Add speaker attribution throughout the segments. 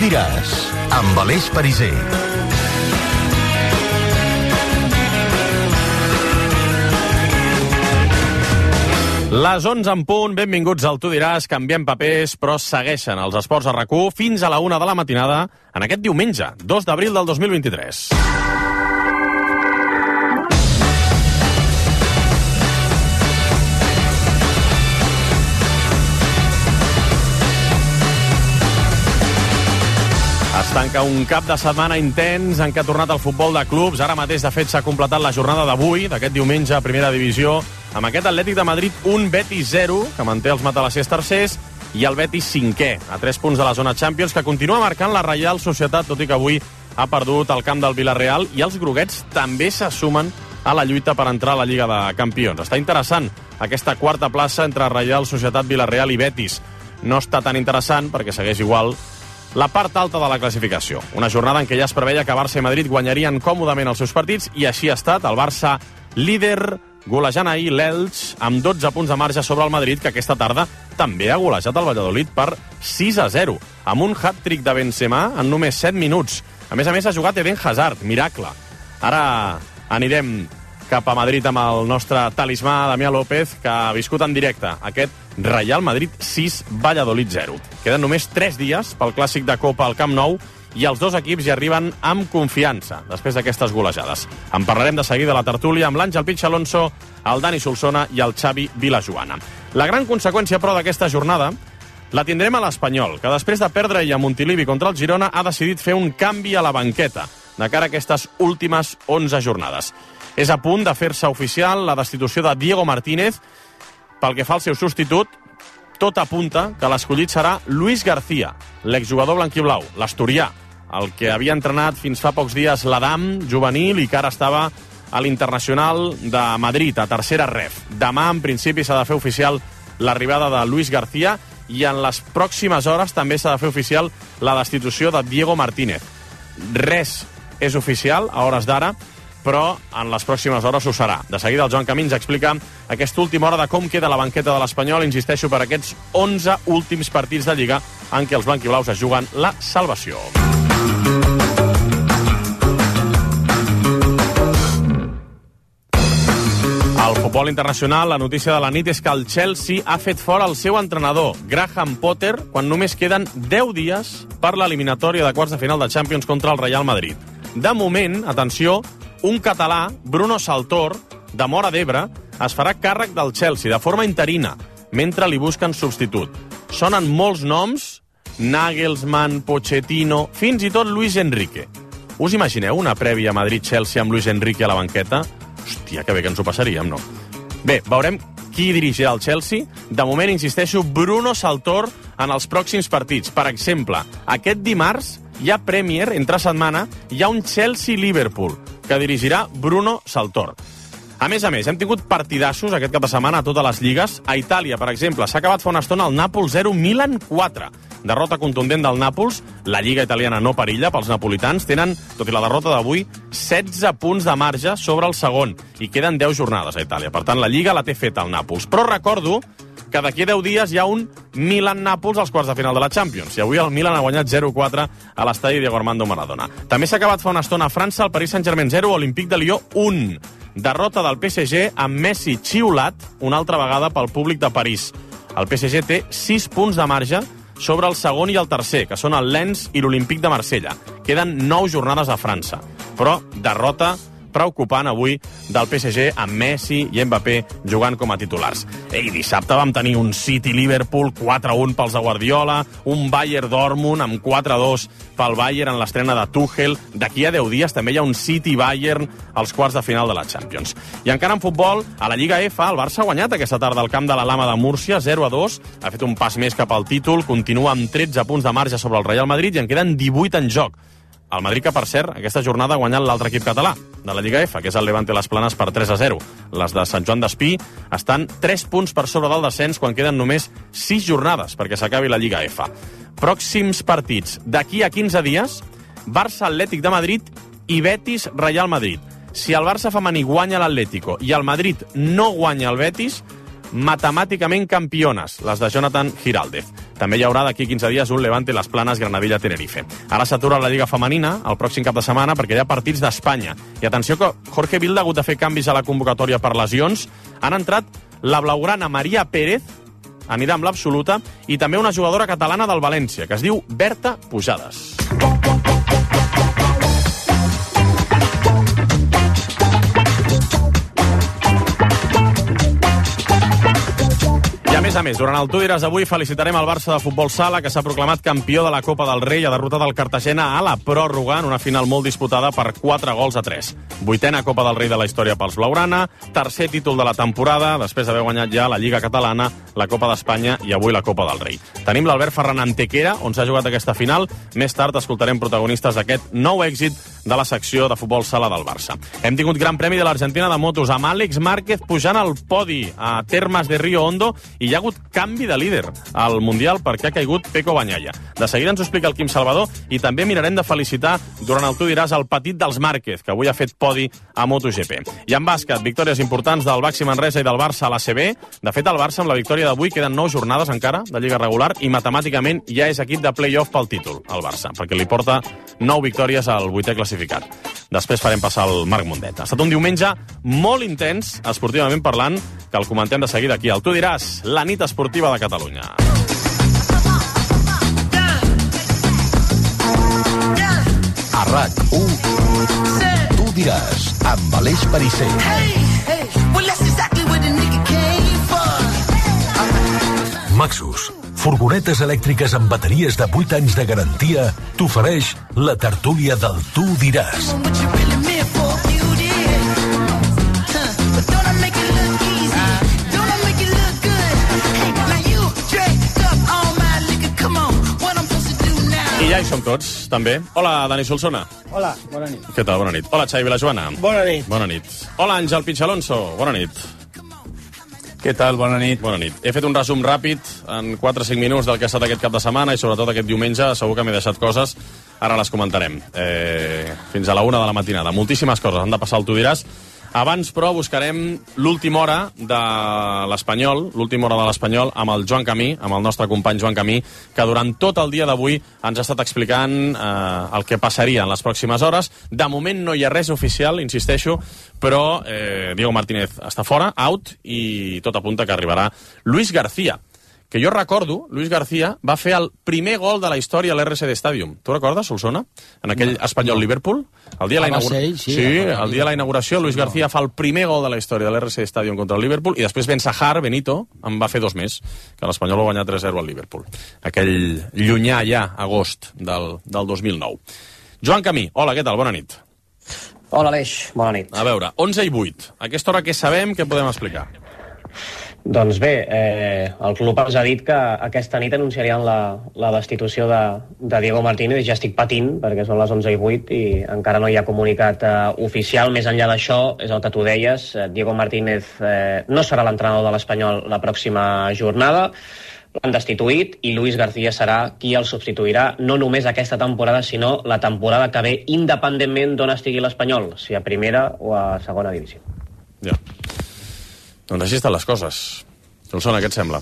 Speaker 1: diràs, amb Aleix Pariser.
Speaker 2: Les 11 en punt, benvinguts al Tu diràs, canviem papers, però segueixen els esports a RAC1 fins a la 1 de la matinada en aquest diumenge, 2 d'abril del 2023. Es tanca un cap de setmana intens en què ha tornat el futbol de clubs. Ara mateix, de fet, s'ha completat la jornada d'avui, d'aquest diumenge a Primera Divisió, amb aquest Atlètic de Madrid 1, Betis 0, que manté els matalassers tercers, i el Betis 5è, a 3 punts de la zona Champions, que continua marcant la Reial Societat, tot i que avui ha perdut el camp del Villarreal, i els groguets també se sumen a la lluita per entrar a la Lliga de Campions. Està interessant aquesta quarta plaça entre Reial Societat, Villarreal i Betis. No està tan interessant perquè segueix igual la part alta de la classificació. Una jornada en què ja es preveia que Barça i Madrid guanyarien còmodament els seus partits, i així ha estat. El Barça líder, golejant ahir l'Elx amb 12 punts de marge sobre el Madrid, que aquesta tarda també ha golejat el Valladolid per 6-0, amb un hat-trick de Benzema en només 7 minuts. A més, ha jugat Eden Hazard, miracle. Ara anirem cap a Madrid amb el nostre talismà, Damià López, que ha viscut en directe aquest Real Madrid 6, Valladolid 0. Queden només 3 dies pel clàssic de Copa al Camp Nou i els dos equips hi arriben amb confiança després d'aquestes golejades. En parlarem de seguida a la tertúlia amb l'Àngel Pitx Alonso, el Dani Solsona i el Xavi Vilajoana. La gran conseqüència, però, d'aquesta jornada la tindrem a l'Espanyol, que després de perdre a Montilivi contra el Girona ha decidit fer un canvi a la banqueta de cara a aquestes últimes 11 jornades. És a punt de fer-se oficial la destitució de Diego Martínez. Pel que fa al seu substitut, tot apunta que l'escollit serà Luis García, l'exjugador blanquiblau, l'asturià, el que havia entrenat fins fa pocs dies l'Adam juvenil i que ara estava a l'Internacional de Madrid, a tercera ref. Demà, en principi, s'ha de fer oficial l'arribada de Luis García i en les pròximes hores també s'ha de fer oficial la destitució de Diego Martínez. Res és oficial a hores d'ara, però en les pròximes hores ho serà. De seguida el Joan Camins explica aquesta última hora de com queda la banqueta de l'Espanyol, insisteixo, per aquests 11 últims partits de Lliga en què els blanquiblaus es juguen la salvació. Al futbol internacional, la notícia de la nit és que el Chelsea ha fet fora el seu entrenador, Graham Potter, quan només queden 10 dies per l'eliminatòria de quarts de final de Champions contra el Real Madrid. De moment, atenció, un català, Bruno Saltor, de Móra d'Ebre, es farà càrrec del Chelsea de forma interina, mentre li busquen substitut. Sonen molts noms, Nagelsmann, Pochettino, fins i tot Luis Enrique. Us imagineu una prèvia Madrid-Chelsea amb Luis Enrique a la banqueta? Hòstia, que bé que ens ho passaríem, no? Bé, veurem qui dirigirà el Chelsea. De moment, insisteixo, Bruno Saltor en els pròxims partits. Per exemple, aquest dimarts hi ha Premier, entre setmana, hi ha un Chelsea-Liverpool, que dirigirà Bruno Saltor. A més, hem tingut partidassos aquest cap de setmana a totes les lligues. A Itàlia, per exemple, s'ha acabat fa una estona el Nàpols 0, Milan 4. Derrota contundent del Nàpols. La lliga italiana no perilla pels napolitans. Tenen, tot i la derrota d'avui, 16 punts de marge sobre el segon. I queden 10 jornades a Itàlia. Per tant, la lliga la té feta el Nàpols. Però recordo que d'aquí 10 dies hi ha un Milan-Nàpols als quarts de final de la Champions. I avui el Milan ha guanyat 0-4 a l'estadi Diego Armando Maradona. També s'ha acabat fa una estona a França, el Paris Saint-Germain 0, Olympique de Lió 1. Derrota del PSG amb Messi xiulat una altra vegada pel públic de París. El PSG té 6 punts de marge sobre el segon i el tercer, que són el Lens i l'Olympique de Marsella. Queden 9 jornades a França. Però derrota preocupant avui del PSG amb Messi i Mbappé jugant com a titulars. I dissabte vam tenir un City-Liverpool 4-1 pels de Guardiola, un Bayern-Dortmund amb 4-2 pel Bayern en l'estrena de Tuchel. D'aquí a 10 dies també hi ha un City-Bayern als quarts de final de la Champions. I encara en futbol, a la Lliga F, el Barça ha guanyat aquesta tarda al camp de la Lama de Múrcia, 0-2, ha fet un pas més cap al títol, continua amb 13 punts de marge sobre el Real Madrid i en queden 18 en joc. El Madrid, que, per cert, aquesta jornada ha guanyat l'altre equip català de la Lliga F, que és el Levante Les Planes, per 3-0. Les de Sant Joan d'Espí estan 3 punts per sobre del descens quan queden només 6 jornades perquè s'acabi la Lliga F. Pròxims partits. D'aquí a 15 dies, Barça Atlètic de Madrid i Betis Real Madrid. Si el Barça femení guanya l'Atlético i el Madrid no guanya el Betis, matemàticament campiones, les de Jonathan Giraldez. També hi haurà d'aquí 15 dies un Levante Las Planes Granadilla-Tenerife. Ara s'atura la Lliga Femenina el pròxim cap de setmana perquè hi ha partits d'Espanya. I atenció que Jorge Vilda ha hagut de fer canvis a la convocatòria per lesions. Han entrat la blaugrana Maria Pérez, anirà amb l'absoluta, i també una jugadora catalana del València, que es diu Berta Pujades. I a més, durant el Tu diràs avui felicitarem el Barça de futbol sala, que s'ha proclamat campió de la Copa del Rei i ha derrotat el Cartagena a la pròrroga en una final molt disputada per 4-3. 8a Copa del Rei de la història pels blaugrana, tercer títol de la temporada, després d'haver guanyat ja la Lliga Catalana, la Copa d'Espanya i avui la Copa del Rei. Tenim l'Albert Ferran Antequera, on s'ha jugat aquesta final. Més tard escoltarem protagonistes d'aquest nou èxit de la secció de futbol sala del Barça. Hem tingut Gran Premi de l'Argentina de motos amb Àlex Márquez pujant al podi a Termes de Río Hondo i hi ha hagut canvi de líder al Mundial perquè ha caigut Peco Bagnaia. De seguida ens ho explica el Quim Salvador i també mirarem de felicitar durant el Tu diràs el petit dels Márquez, que avui ha fet podi a MotoGP. I en bàsquet, victòries importants del Baxi Manresa i del Barça a l'ACB. De fet, el Barça, amb la victòria d'avui, queden 9 jornades encara de Lliga regular i matemàticament ja és equip de play-off pel títol, el Barça, perquè li porta 9 victòries al 8è classificat. Després farem passar el Marc Mundet. Ha estat un diumenge molt intens, esportivament parlant, que el comentem de seguida aquí. El Tu diràs, la nit esportiva de Catalunya.
Speaker 1: A RAC1, Tu diràs, amb Aleix Perisser. Maxus, furgonetes elèctriques amb bateries de 8 anys de garantia, t'ofereix la tertúlia del Tu diràs.
Speaker 2: I ja hi som tots, també. Hola, Dani Solsona.
Speaker 3: Hola, bona nit.
Speaker 2: Què tal? Bona nit. Hola, Xavi Vilajoana.
Speaker 3: Bona nit.
Speaker 2: Bona nit. Hola, Àngel Pitxalonso. Bona nit.
Speaker 3: Què tal? Bona nit.
Speaker 2: Bona nit. He fet un resum ràpid en 4 o 5 minuts del que ha estat aquest cap de setmana i sobretot aquest diumenge. Segur que m'he deixat coses. Ara les comentarem. Fins a la 1 de la matinada. Moltíssimes coses han de passar al Tu diràs. Abans, però, buscarem l'última hora de l'Espanyol, amb el Joan Camí, amb el nostre company Joan Camí, que durant tot el dia d'avui ens ha estat explicant el que passaria en les pròximes hores. De moment no hi ha res oficial, insisteixo, però Diego Martínez està fora, out, i tot apunta que arribarà Luis García, que jo recordo, Luis García va fer el primer gol de la història a l'RCD Stadium. Tu recordes, Solsona? En aquell Espanyol-Liverpool? El dia de la inauguració, Luis García fa el primer gol de la història de l'RCD Stadium contra el Liverpool i després Ben Sahar, Benito, en va fer 2 més, que l'Espanyol va guanyar 3-0 al Liverpool. Aquell llunyà ja, agost del 2009. Joan Camí, hola, què tal? Bona nit.
Speaker 4: Hola, Aleix, bona nit.
Speaker 2: A veure, 11 i 8. A aquesta hora què sabem, què podem explicar?
Speaker 4: Doncs bé, el club ens ha dit que aquesta nit anunciarien la destitució de Diego Martínez. Ja estic patint, perquè són les 11 i 8 i encara no hi ha comunicat oficial. Més enllà d'això, és el que tu deies, Diego Martínez no serà l'entrenador de l'Espanyol la pròxima jornada, l'han destituït i Luis García serà qui el substituirà, no només aquesta temporada, sinó la temporada que ve, independentment d'on estigui l'Espanyol, si a primera o a segona divisió.
Speaker 2: Ja. Doncs així estan les coses. Solsona, què et sembla?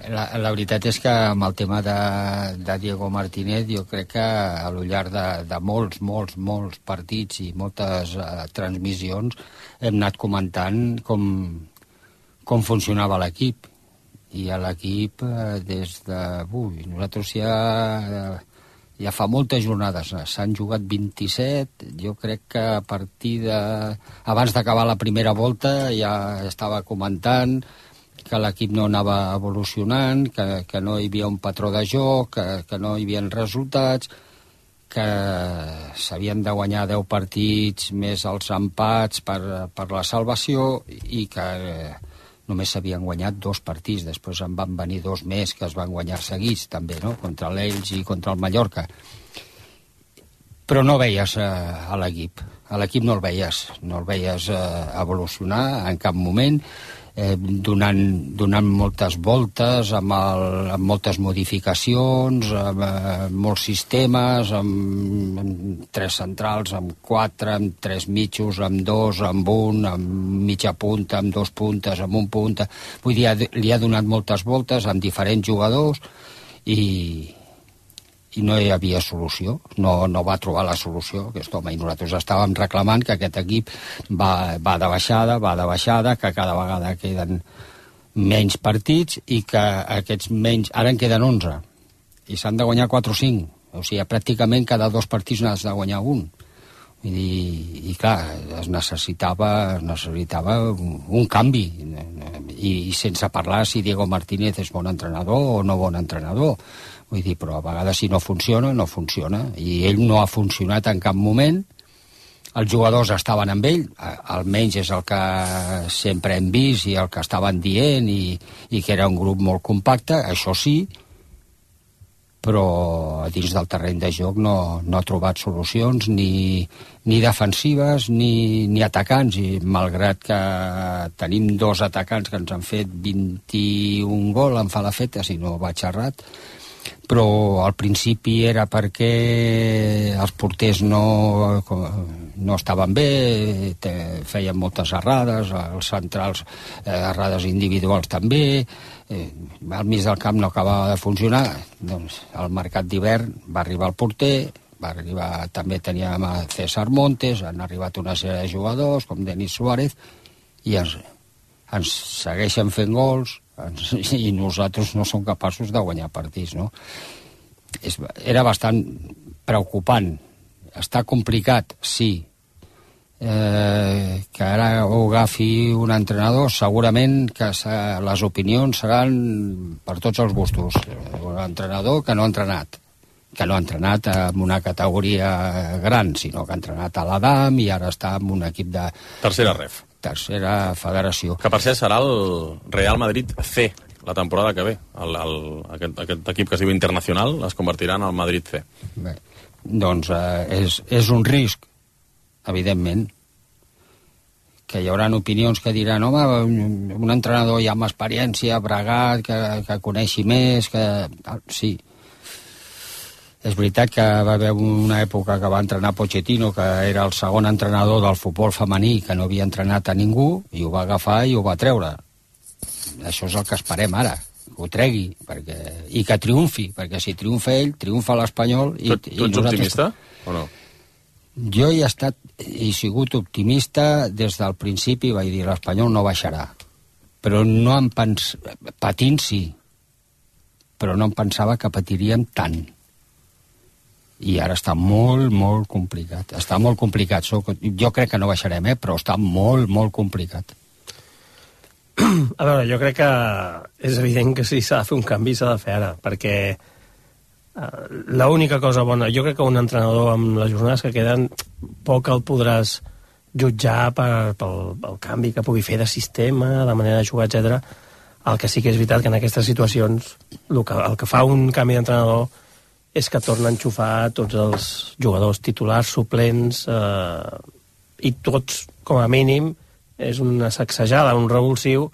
Speaker 5: La veritat és que amb el tema de Diego Martínez jo crec que a lo llarg de molts partits i moltes transmissions hem anat comentant com funcionava l'equip. I a l'equip des de... nosaltres ja fa moltes jornades, s'han jugat 27, jo crec que a partir abans d'acabar la primera volta ja estava comentant que l'equip no anava evolucionant, que no hi havia un patró de joc, que no hi havia resultats, que s'havien de guanyar 10 partits més els empats per la salvació i que només s'havien guanyat 2 partits, després en van venir 2 més que es van guanyar seguits també, no? Contra l'Elx i contra el Mallorca. Però no veies a l'equip no el veies evolucionar en cap moment. donant moltes voltes, amb moltes modificacions, amb molts sistemes, amb 3 centrals, amb 4, amb 3 mitjos, amb 2, amb 1, amb mitja punta, amb 2 puntes, amb un punta. Vull dir, li ha donat moltes voltes amb diferents jugadors i no hi havia solució, no va trobar la solució aquest home, i nosaltres estàvem reclamant que aquest equip va de baixada, que cada vegada queden menys partits i que aquests menys, ara en queden 11 i s'han de guanyar 4 o 5, o sigui, pràcticament cada 2 partits n'has de guanyar un. I clar, es necessitava un canvi, i sense parlar si Diego Martínez és bon entrenador o no bon entrenador. Vull dir, però a vegades si no funciona, no funciona. I ell no ha funcionat en cap moment. Els jugadors estaven amb ell, almenys és el que sempre hem vist i el que estaven dient, i que era un grup molt compacte, això sí, però dins del terreny de joc no ha trobat solucions ni defensives ni atacants, i malgrat que tenim 2 atacants que ens han fet 21 gol, em fa la feta si no vaig errat, però al principi era perquè els porters no estaven bé, feien moltes errades, els centrals errades individuals també, al mig del camp no acabava de funcionar. Doncs al mercat d'hivern va arribar el porter, també teníem a César Montes, han arribat una sèrie de jugadors com Denis Suárez, i ens segueixen fent gols, i nosaltres no som capaços de guanyar partits, no? Era bastant preocupant. Està complicat, sí. Que ara ho agafi un entrenador, segurament que les opinions seran per tots els gustos. Un entrenador que no ha entrenat en una categoria gran, sinó que ha entrenat a l'Adam i ara està en un equip de tercera federació.
Speaker 2: Que per cert serà el Real Madrid C la temporada que ve. Aquest equip que es diu Internacional es convertirà en el Madrid C.
Speaker 5: Bé, doncs és un risc, evidentment, que hi haurà opinions que diran, home, un entrenador ja amb experiència, bregat, que coneixi més, que... Sí. És veritat que va haver una època que va entrenar Pochettino, que era el segon entrenador del futbol femení, que no havia entrenat a ningú, i ho va agafar i ho va treure. Això és el que esperem ara, que ho tregui, i que triomfi, perquè si triomfa ell, triomfa l'Espanyol...
Speaker 2: Tu ets optimista o no?
Speaker 5: Jo he sigut optimista des del principi, vaig dir l'Espanyol no baixarà, però no em patint sí, però no em pensava que patiríem tant. I ara està molt, molt complicat. Està molt complicat. Jo crec que no baixarem, però està molt, molt complicat.
Speaker 6: A veure, jo crec que és evident que si s'ha de fer un canvi s'ha de fer ara, perquè l'única cosa bona, jo crec que un entrenador amb les jornades que queden poc el podràs jutjar pel canvi que pugui fer de sistema, de manera de jugar, etc. El que sí que és veritat que en aquestes situacions el que fa un canvi d'entrenador és que torna a enxufar tots els jugadors titulars, suplents, i tots, com a mínim, és una sacsejada, un revulsiu,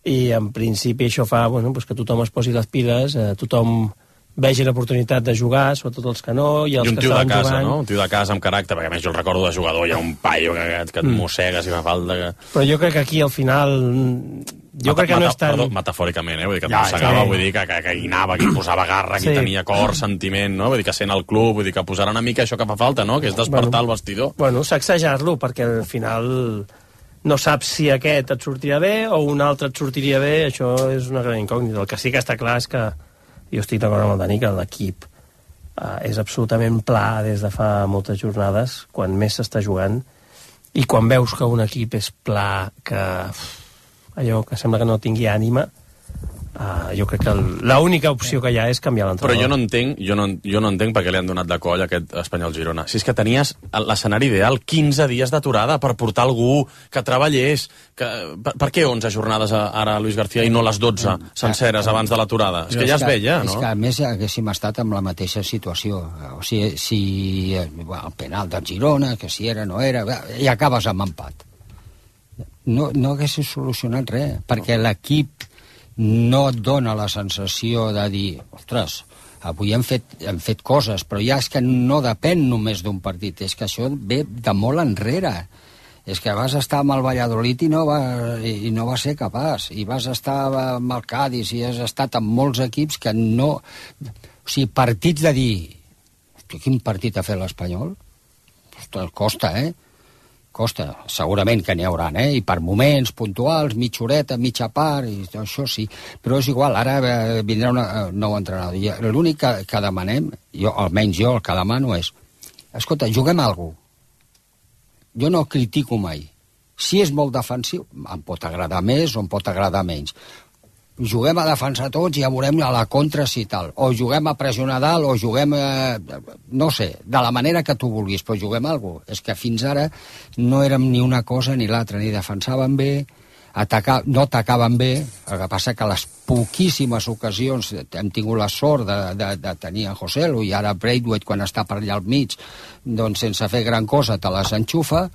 Speaker 6: i en principi això fa que tothom es posi les piles, tothom vegi l'oportunitat de jugar, sobretot els que no, i els que estaven jugant...
Speaker 2: casa, no? Un tio de casa amb caràcter, perquè a més jo el recordo de jugador, hi ha un paio que et mossega si fa falta...
Speaker 6: Però jo crec que aquí al final... Jo crec que no és tan...
Speaker 2: Perdó, metafòricament, vull dir que mossegava, vull dir que guinava, que posava garra, que tenia cor, sentiment, no? Vull dir que sent el club, vull dir que posarà una mica això que fa falta, no? Que és despertar el vestidor.
Speaker 6: Bueno, sacsejar-lo, perquè al final no saps si aquest et sortirà bé o un altre et sortiria bé, això és una gran incògnita. El que sí que està clar és que jo estic d'acord amb el Dani, que l'equip és absolutament pla des de fa moltes jornades, quan més s'està jugant, i quan veus que un equip és pla, que allò que sembla que no tingui ànima, jo crec que l'única opció que hi ha és canviar l'entrenador.
Speaker 2: Però jo no entenc per què li han donat de coll a aquest Espanyol-Girona. Si és que tenies l'escenari ideal, 15 dies d'aturada per portar algú que treballés. Per què 11 jornades ara Luis García i no les 12 senceres abans de l'aturada? És que ja es veia, no?
Speaker 5: És que a més haguéssim estat amb la mateixa situació. O sigui, si el penal del Girona, que si era o no era, i acabes amb empat. no haguessis solucionat res, perquè l'equip no et dona la sensació de dir, ostres, avui hem fet coses, però ja és que no depèn només d'un partit, és que això ve de molt enrere. És que vas estar amb el Valladolid i no va ser capaç, i vas estar amb el Cádiz i has estat amb molts equips que no... O sigui, partits de dir, hosti, quin partit ha fet l'Espanyol? Ostres, costa, Costa, segurament que n'hi haurà, i per moments puntuals, mitja horeta, mitja part, i això sí, però és igual, ara vindrà un nou entrenador. I l'únic que demanem, almenys jo el que demano és, escolta, juguem a alguna cosa. Jo no critico mai. Si és molt defensiu, em pot agradar més o em pot agradar menys. Juguem a defensar tots i ja veurem a la contra si tal. O juguem a pressionar dalt, o juguem, no sé, de la manera que tu vulguis, però juguem a alguna cosa. És que fins ara no érem ni una cosa ni l'altra, ni defensaven bé, no atacaven bé. El que passa que a les poquíssimes ocasions hem tingut la sort de tenir en Joselu, i ara Braithwaite, quan està per allà al mig, doncs sense fer gran cosa te les enxufa,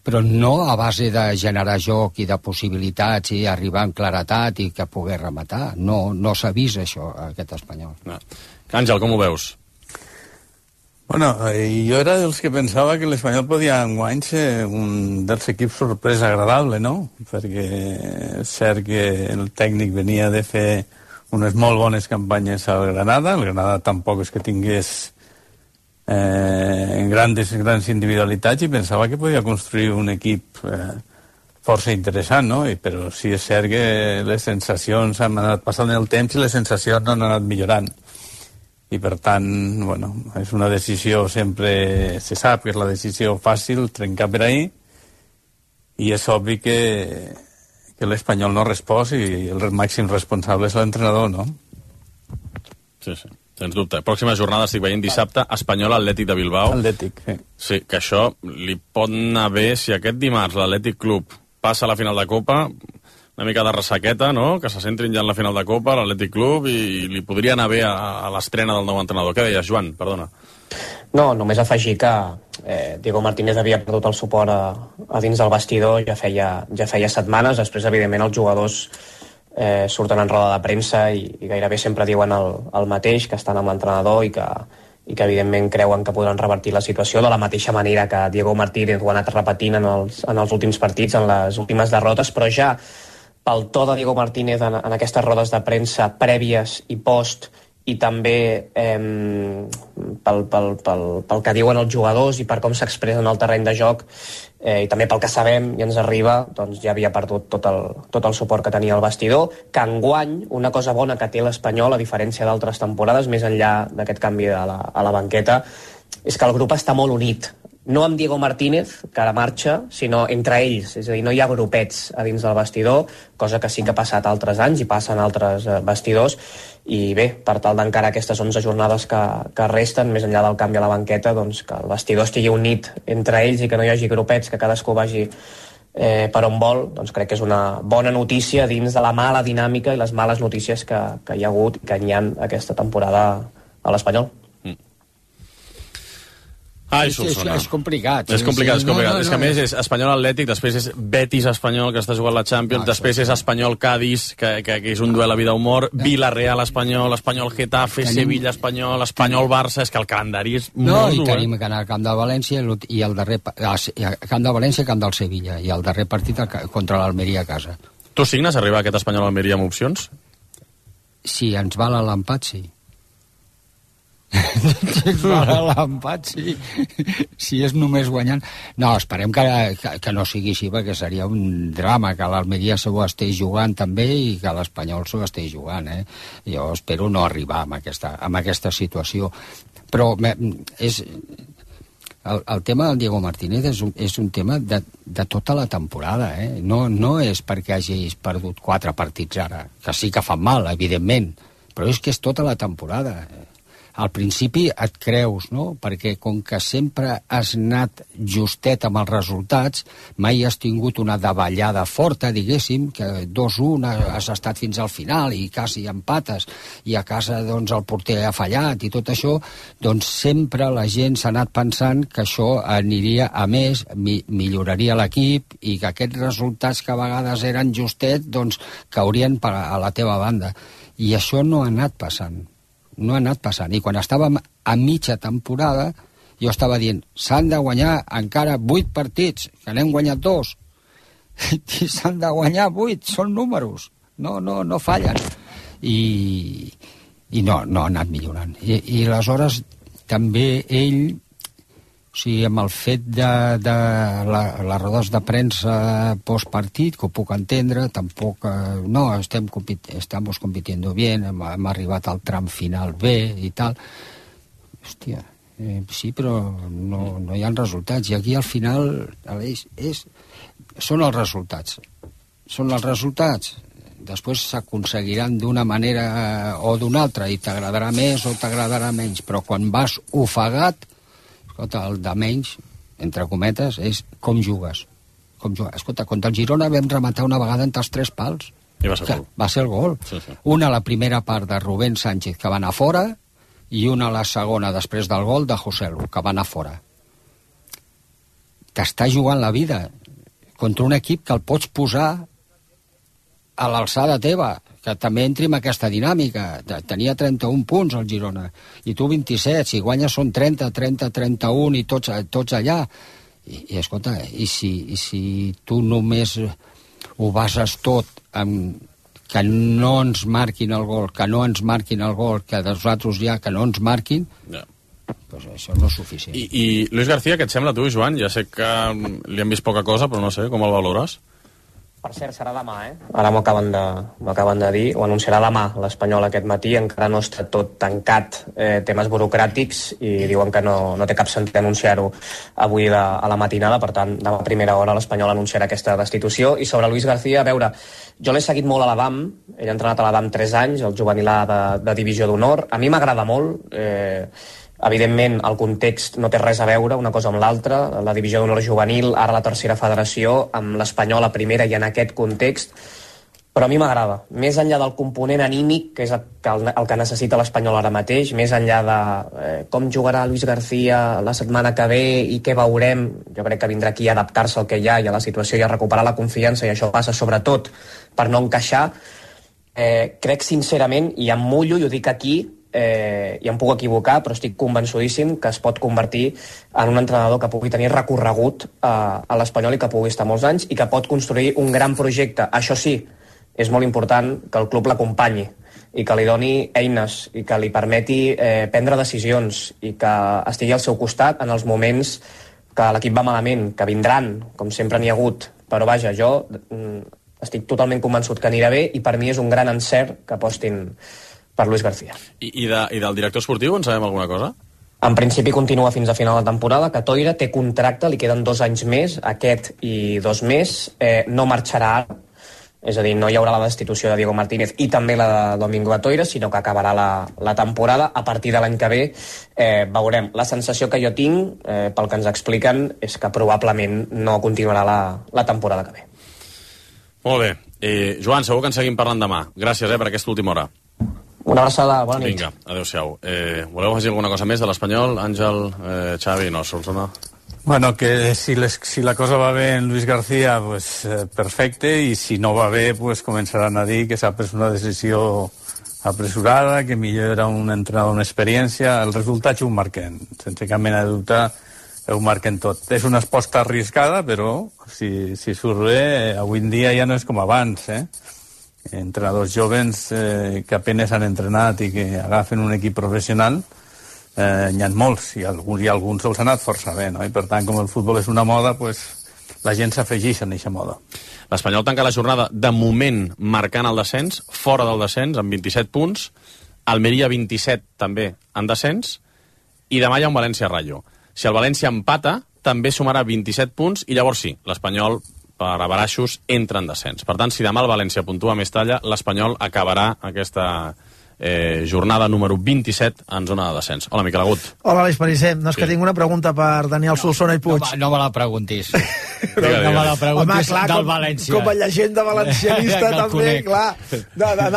Speaker 5: però no a base de generar joc i de possibilitats i arribar amb claretat i que pogués rematar. No s'ha vist això, aquest Espanyol.
Speaker 2: No. Àngel, com ho veus?
Speaker 3: Bueno, jo era dels que pensava que l'Espanyol podia enguany ser un dels equips sorpresa agradable, no? Perquè és cert que el tècnic venia de fer unes molt bones campanyes al Granada. El Granada tampoc és que tingués grans individualitats, i pensava que podia construir un equip força interessant, no? Però sí és cert que les sensacions han anat passant el temps i les sensacions no han anat millorant, i per tant, bueno, és una decisió, sempre se sap que és la decisió fàcil, trencar per ahí, i és obvi que l'Espanyol no respòs i el màxim responsable és l'entrenador, no?
Speaker 2: Sí. Sens dubte. Pròxima jornada, estic veient dissabte, Espanyol Atlètic de Bilbao.
Speaker 3: Atlètic, sí.
Speaker 2: Sí, que això li pot anar bé si aquest dimarts l'Atlètic Club passa a la final de Copa, una mica de ressaqueta, no?, que se centrin ja en la final de Copa, l'Atlètic Club, i li podria anar bé a l'estrena del nou entrenador. Què deies, Joan? Perdona.
Speaker 4: No, només afegir que Diego Martínez havia perdut el suport a dins del vestidor ja feia setmanes. Després, evidentment, els jugadors surten en roda de premsa i gairebé sempre diuen el mateix, que estan amb l'entrenador i que evidentment creuen que podran revertir la situació, de la mateixa manera que Diego Martínez ho ha anat repetint en els últims partits, en les últimes derrotes, però ja pel to de Diego Martínez en aquestes rodes de premsa prèvies i post, i també pel que diuen els jugadors i per com s'expressen al terreny de joc, i també pel que sabem i ens arriba, doncs ja havia perdut tot el suport que tenia el vestidor, que enguany una cosa bona que té l'Espanyol, a diferència d'altres temporades, més enllà d'aquest canvi a la banqueta, és que el grup està molt unit. No amb Diego Martínez, que ara marxa, sinó entre ells. És a dir, no hi ha grupets a dins del vestidor, cosa que sí que ha passat altres anys i passa en altres vestidors. I bé, per tal d'encara aquestes 11 jornades que resten, més enllà del canvi a la banqueta, doncs que el vestidor estigui unit entre ells i que no hi hagi grupets, que cadascú vagi per on vol, doncs crec que és una bona notícia dins de la mala dinàmica i les males notícies que hi ha hagut i que n'hi ha aquesta temporada a l'Espanyol.
Speaker 5: És complicat.
Speaker 2: És complicat. És que a més és Espanyol Atlètic, després és Betis Espanyol, que està jugant la Champions, després és Espanyol Cádiz, que és un duel a vida humor, Villarreal Espanyol, Espanyol Getafe, Sevilla Espanyol, Espanyol Barça, és que el calendari és molt dur.
Speaker 5: I tenim que anar al camp de València i el darrer camp de València, camp del Sevilla, i el darrer partit contra l'Almeria a casa.
Speaker 2: Tu signes arribar a aquest Espanyol Almeria amb opcions?
Speaker 5: Si ens val a l'empat, sí. Si ens val a l'empat, sí. Si és només guanyant. No, esperem que no sigui així, perquè seria un drama que l'Almeria s'ho estigui jugant també i que l'Espanyol s'ho estigui jugant. Jo espero no arribar a aquesta situació. Però el tema del Diego Martínez és un tema de tota la temporada. No és perquè hagis perdut 4 partits ara, que sí que fan mal, evidentment, però és que és tota la temporada. al principi et creus, no? Perquè com que sempre has anat justet amb els resultats, mai has tingut una davallada forta, diguéssim, que 2-1 has estat fins al final i quasi empates, i a casa doncs el porter ha fallat i tot això, doncs sempre la gent s'ha anat pensant que això aniria a més, milloraria l'equip i que aquests resultats que a vegades eren justet, doncs caurien a la teva banda. I això no ha anat passant. No ha anat passant. I quan estàvem a mitja temporada, jo estava dient, s'han de guanyar encara 8 partits, que n'hem guanyat 2. I s'han de guanyar 8, són números. No fallen. I no ha anat millorant. I aleshores també ell, o sigui, amb el fet de les rodes de premsa postpartit, que ho puc entendre, tampoc... No, estamos compitiendo bien, hem arribat al tram final bé i tal. Hòstia, sí, però no hi ha resultats. I aquí al final són els resultats. Són els resultats. Després s'aconseguiran d'una manera o d'una altra i t'agradarà més o t'agradarà menys, però quan vas ofegat, escolta, el de menys, entre cometes, és com jugues. Escolta, contra el Girona vam rematar una vegada entre els 3 pals.
Speaker 2: I va ser gol.
Speaker 5: Va ser el gol.
Speaker 2: Sí.
Speaker 5: Una a la primera part de Rubén Sánchez, que va anar fora, i una a la segona, després del gol, de Joselu, que va anar fora. T'està jugant la vida contra un equip que el pots posar a l'alçada teva, que també entri en aquesta dinàmica. Tenia 31 punts el Girona, i tu 27, si guanyes són 30, 31 i tots allà. I escolta, i si tu només ho bases tot amb que no ens marquin el gol, que nosaltres ja que no ens marquin, pues això no és suficient.
Speaker 2: I Luis García, què et sembla tu, Joan? Ja sé que li hem vist poca cosa, però no sé, com el valores?
Speaker 4: Per cert, serà demà, Ara m'ho acaben de dir, ho anunciarà demà l'Espanyol aquest matí, encara no està tot tancat, temes burocràtics, i diuen que no té cap sentit anunciar-ho avui a la matinada, per tant, demà a primera hora l'Espanyol anunciarà aquesta destitució. I sobre Luis García, a veure, jo l'he seguit molt a l'Adam, ell ha entrenat a l'Adam 3 anys, el juvenil de divisió d'honor, a mi m'agrada molt, evidentment el context no té res a veure una cosa amb l'altra, la divisió d'honor juvenil, ara la tercera federació, amb l'Espanyol a primera i en aquest context, però a mi m'agrada, més enllà del component anímic, que és el que necessita l'Espanyol ara mateix, més enllà de com jugarà Luis García la setmana que ve i què veurem, jo crec que vindrà aquí a adaptar-se al que hi ha i a la situació i a recuperar la confiança, i això passa sobretot per no encaixar. Crec sincerament, i em mullo i ho dic aquí, i em puc equivocar, però estic convençudíssim que es pot convertir en un entrenador que pugui tenir recorregut a l'Espanyol i que pugui estar molts anys i que pot construir un gran projecte. Això sí, és molt important que el club l'acompanyi i que li doni eines i que li permeti prendre decisions i que estigui al seu costat en els moments que l'equip va malament, que vindran, com sempre n'hi ha hagut, però vaja, jo estic totalment convençut que anirà bé i per mi és un gran encert que apostin per Luis García.
Speaker 2: I del director esportiu en sabem alguna cosa?
Speaker 4: En principi continua fins a final de temporada, que Toira té contracte, li queden 2 anys més, aquest i 2 més, no marxarà ara, és a dir, no hi haurà la destitució de Diego Martínez i també la de Domingo Atoira, sinó que acabarà la temporada. A partir de l'any que ve veurem. La sensació que jo tinc, pel que ens expliquen, és que probablement no continuarà la temporada que ve.
Speaker 2: Molt bé. Joan, segur que en seguim parlant demà. Gràcies per aquesta última hora.
Speaker 4: Una abraçada, bona nit.
Speaker 2: Vinga, adéu-siau. Voleu afegir alguna cosa més de l'Espanyol? Àngel, Xavi, no, Solsona?
Speaker 3: Bueno, que si la cosa va bé en Luis García, pues perfecte, i si no va bé, pues començaran a dir que s'ha pres una decisió apresurada, que millor era un entrenador amb experiència. Els resultats ho marquen, sense cap mena de dubte, ho marquen tot. És una aposta arriscada, però si surt bé, avui en dia ja no és com abans, entrenadors jovens que apenas han entrenat i que agafen un equip professional, n'hi ha molts, i alguns els han anat força bé, no? I per tant, com el futbol és una moda, pues, la gent s'afegeix en aquesta moda.
Speaker 2: L'Espanyol tanca la jornada de moment marcant el descens, fora del descens, amb 27 punts, Almeria 27 també en descens, i demà hi ha un València-Rayo. Si el València empata, també sumarà 27 punts, i llavors sí, l'Espanyol per a baraixos entra en descens. Per tant, si demà el València puntua més talla, l'Espanyol acabarà aquesta jornada número 27 en zona de descens. Hola, Miquel Agut.
Speaker 7: Hola, Aleix Pariser. No, és que tinc una pregunta per Daniel Solsona i Puig.
Speaker 5: No me la preguntis.
Speaker 2: Digue.
Speaker 5: No me la preguntis.
Speaker 7: Home, clar,
Speaker 5: del València.
Speaker 7: Com a llegenda valencianista també, clar.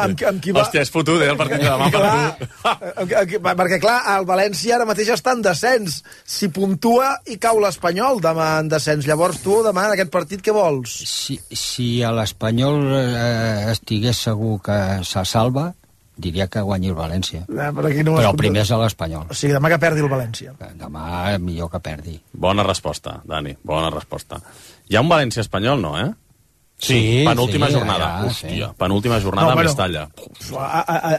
Speaker 7: Amb qui va...
Speaker 2: Hòstia, és fotut, el partit de demà per tu.
Speaker 7: Perquè, clar, el València ara mateix està en descens. Si puntua i cau l'Espanyol demà en descens. Llavors tu, demà, en aquest partit, què vols?
Speaker 5: Si a l'Espanyol estigués segur que se salva, diria que guanyi el València. Però primer és l'Espanyol.
Speaker 7: O sigui, demà que perdi el València.
Speaker 5: Demà millor que perdi.
Speaker 2: Bona resposta, Dani, bona resposta. Hi ha un València-Espanyol, no, eh?
Speaker 5: Sí,
Speaker 2: penúltima
Speaker 5: sí,
Speaker 2: jornada.
Speaker 5: allà,
Speaker 2: Hòstia, penúltima jornada a Mestalla.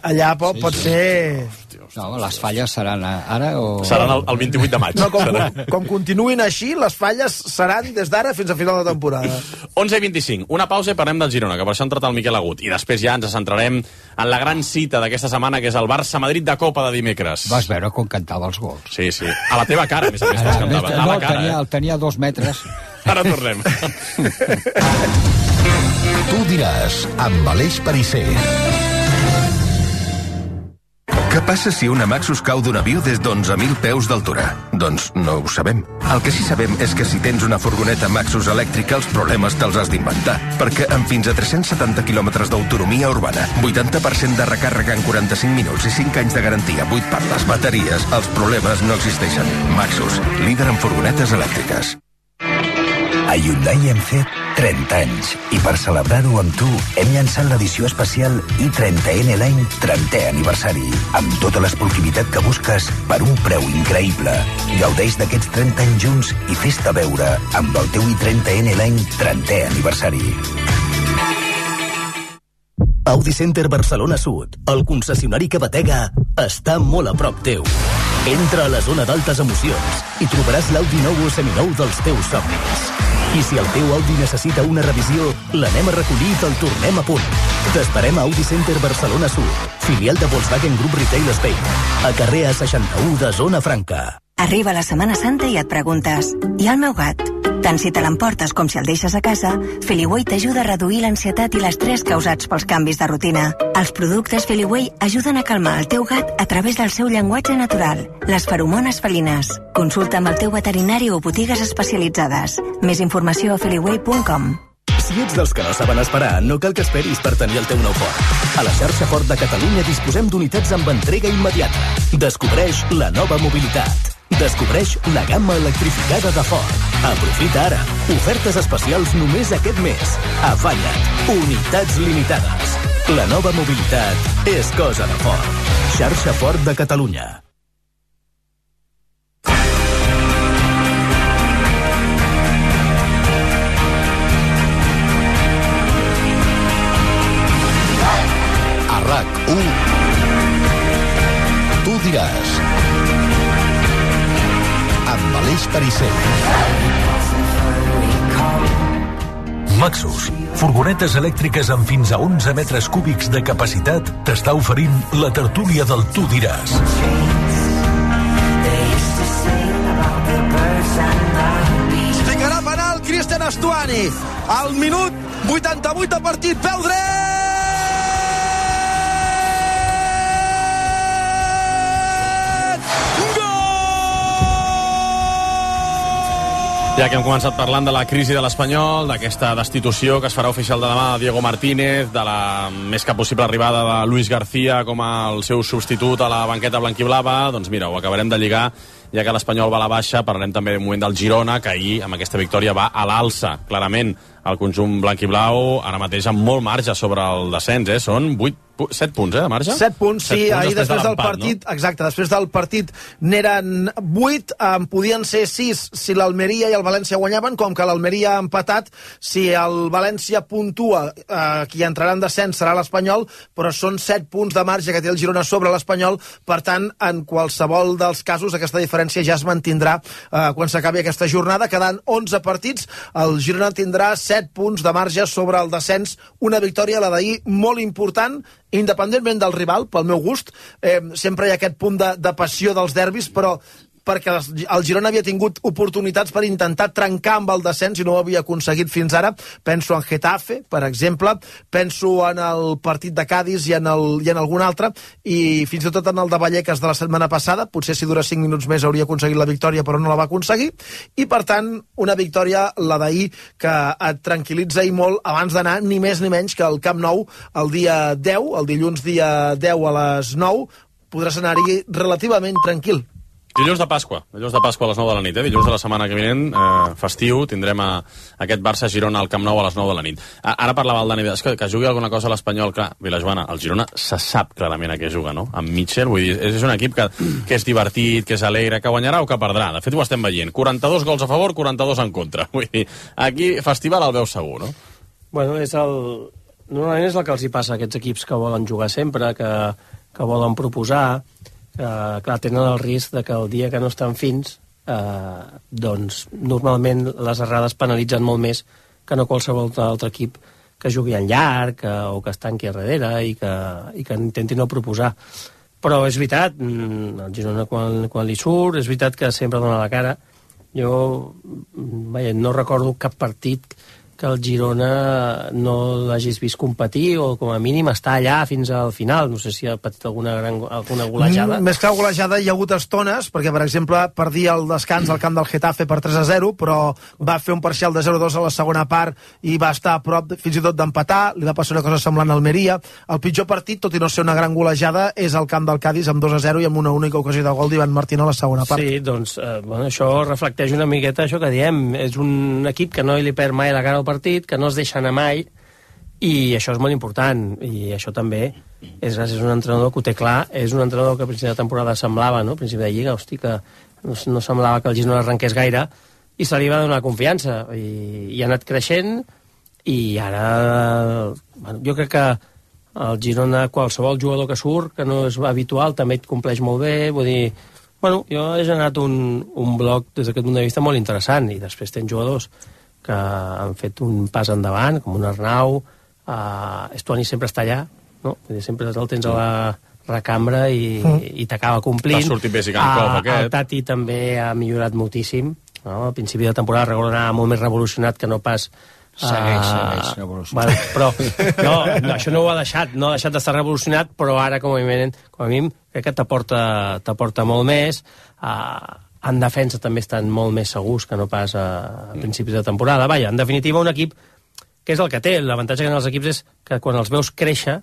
Speaker 7: Allà pot ser...
Speaker 5: No, les falles seran ara o...
Speaker 2: Seran el 28 de maig.
Speaker 7: No, com continuïn així, les falles seran des d'ara fins a final de temporada.
Speaker 2: 11:25, una pausa i parlem del Girona, que per això ha entrat el Miquel Agut. I després ja ens centrarem en la gran cita d'aquesta setmana, que és el Barça-Madrid de Copa de dimecres.
Speaker 5: Vas veure com cantava els gols.
Speaker 2: Sí, sí. A la teva cara, a més a més, els cantava. A la cara,
Speaker 5: el tenia a 2 metres.
Speaker 2: Ara tornem.
Speaker 1: Tu diràs, amb Aleix Pariser.
Speaker 8: Què passa si una Maxus cau d'un avió des d'11.000 peus d'altura? Doncs no ho sabem. El que sí sabem és que si tens una furgoneta Maxus elèctrica, els problemes te'ls has d'inventar. Perquè amb fins a 370 quilòmetres d'autonomia urbana, 80% de recàrrega en 45 minuts i 5 anys de garantia, 8 per les bateries, els problemes no existeixen. Maxus, líder en furgonetes elèctriques.
Speaker 9: A Hyundai hem fet 30 anys i per celebrar-ho amb tu hem llançat l'edició especial i30N Line 30è aniversari amb tota l'esportivitat que busques per un preu increïble. Gaudeix d'aquests 30 anys junts i fes-te veure amb el teu i30N Line 30è aniversari.
Speaker 10: Audi Center Barcelona Sud, el concessionari que batega, està molt a prop teu. Entra a la zona d'altes emocions i trobaràs l'Audi nou o seminou dels teus somnis. I si el teu Audi necessita una revisió, l'anem a recollir i te'l tornem a punt. T'esperem a Audi Center Barcelona Sud, filial de Volkswagen Group Retail Spain, a carrer A61 de Zona Franca.
Speaker 11: Arriba la Setmana Santa i et preguntes, i el meu gat? Tant si te l'emportes com si el deixes a casa, Feliway t'ajuda a reduir l'ansietat i l'estrès causats pels canvis de rutina. Els productes Feliway ajuden a calmar el teu gat a través del seu llenguatge natural, les feromones felines. Consulta amb el teu veterinari o botigues especialitzades. Més informació a feliway.com.
Speaker 10: Si ets dels que no saben esperar, no cal que esperis per tenir el teu nou Ford. A la xarxa Ford de Catalunya disposem d'unitats amb entrega immediata. Descobreix la nova mobilitat. Descobreix la gamma electrificada de Ford. Aprofita ara. Ofertes especials només aquest mes. Afanya't. Unitats limitades. La nova mobilitat és cosa de Ford. Xarxa Ford de Catalunya.
Speaker 1: A RAC1 Tu diràs, amb Aleix Pariser. Maxus, furgonetes elèctriques amb fins a 11 metres cúbics de capacitat, t'està oferint la tertúlia del Tu diràs.
Speaker 7: Ficarà penal Cristian Stuani al minut 88 de partit, peu dret!
Speaker 2: Ja que hem començat parlant de la crisi de l'Espanyol, d'aquesta destitució que es farà oficial de demà de Diego Martínez, de la més que possible arribada de Luis García com el seu substitut a la banqueta blanquiblava, doncs mira, ho acabarem de lligar, ja que l'Espanyol va a la baixa. Parlarem també un moment del Girona, que ahir amb aquesta victòria va a l'alça, clarament, el conjunt blanquiblau, ara mateix amb molt marge sobre el descens, són 7 punts, de marge?
Speaker 7: 7 punts, sí, ahir després del partit, no? Exacte, després del partit n'eren 8, podien ser 6 si l'Almeria i el València guanyaven, com que l'Almeria ha empatat, si el València puntua, qui entrarà en descens serà l'Espanyol, però són 7 punts de marge que té el Girona sobre l'Espanyol, per tant, en qualsevol dels casos, aquesta diferència ja es mantindrà quan s'acabi aquesta jornada, quedant 11 partits, el Girona tindrà 7 punts de marge sobre el descens, una victòria, la d'ahir, molt important, independentment del rival, pel meu gust, sempre hi ha aquest punt de passió dels derbis, però perquè el Girona havia tingut oportunitats per intentar trencar amb el descens i no ho havia aconseguit fins ara. Penso en Getafe, per exemple, penso en el partit de Cádiz i en algun altre, i fins i tot en el de Vallecas de la setmana passada. Potser si dura 5 minuts més hauria aconseguit la victòria, però no la va aconseguir, i per tant una victòria, la d'ahir, que et tranquil·litza i molt abans d'anar ni més ni menys que al Camp Nou el dia 10, el dilluns dia 10 a les 9, podràs anar-hi relativament tranquil.
Speaker 2: Dilluns de Pasqua a les 9 de la nit, dilluns de la setmana que vinent, festiu, tindrem aquest Barça-Girona al Camp Nou a les 9 de la nit. Ara parlava el Dani, que jugui alguna cosa a l'Espanyol, clar, Vilajoana, el Girona se sap clarament a què juga, no? Amb Mitchell, vull dir, és un equip que és divertit, que és alegre, que guanyarà o que perdrà. De fet, ho estem veient. 42 gols a favor, 42 en contra. Vull dir, aquí festival el veu segur, no?
Speaker 6: Bueno, normalment és el que els hi passa a aquests equips que volen jugar sempre, que volen proposar, clar, tenen el risc de que el dia que no estan fins, doncs normalment les errades penalitzen molt més que no qualsevol altre equip que jugui en llarg o que es tanqui a darrere i que intenti no proposar. Però és veritat, el Girona quan li surt, és veritat que sempre dona la cara. Jo no recordo cap partit que el Girona no l'hagis vist competir o com a mínim estar allà fins al final. No sé si ha patit alguna golejada.
Speaker 7: Més que golejada hi ha hagut estones, perquè per exemple perdia el descans al camp del Getafe per 3-0, però va fer un parcial de 0-2 a la segona part i va estar a prop fins i tot d'empatar. Li va passar una cosa semblant a Almeria. El pitjor partit, tot i no ser una gran golejada, és el camp del Cádiz amb 2-0 i amb una única ocasió de gol d'Ivan Martín a la segona part.
Speaker 6: Sí, doncs això reflecteix una miqueta això que diem. És un equip que no li perd mai la cara al partit, que no es deixa anar mai, i això és molt important, i això també és gràcies a un entrenador que ho té clar. És un entrenador que a principi de temporada semblava, no? A principi de Lliga, hosti, que no semblava que el Girona arrenqués gaire, i se li va donar confiança, i ha anat creixent, i ara jo crec que el Girona, qualsevol jugador que surt, que no és habitual, també et compleix molt bé. Vull dir, jo he generat un bloc des d'aquest punt de vista molt interessant, i després tens jugadors que han fet un pas endavant, com un Arnau. Estuani sempre està allà, no? Sempre el tens a la recambra i t'acaba complint.
Speaker 2: T'ha sortit bé Sigankov, aquest.
Speaker 6: El Tati també ha millorat moltíssim, no? Al principi de temporada recordo anar molt més revolucionat que no pas...
Speaker 5: Segueix revolucionat.
Speaker 6: Però això no ho ha deixat, no ha deixat d'estar revolucionat, però ara com a mínim crec que t'aporta molt més. En defensa també estan molt més segurs que no pas a principis de temporada. En definitiva, un equip que és el que té. L'avantatge que tenen els equips és que quan els veus créixer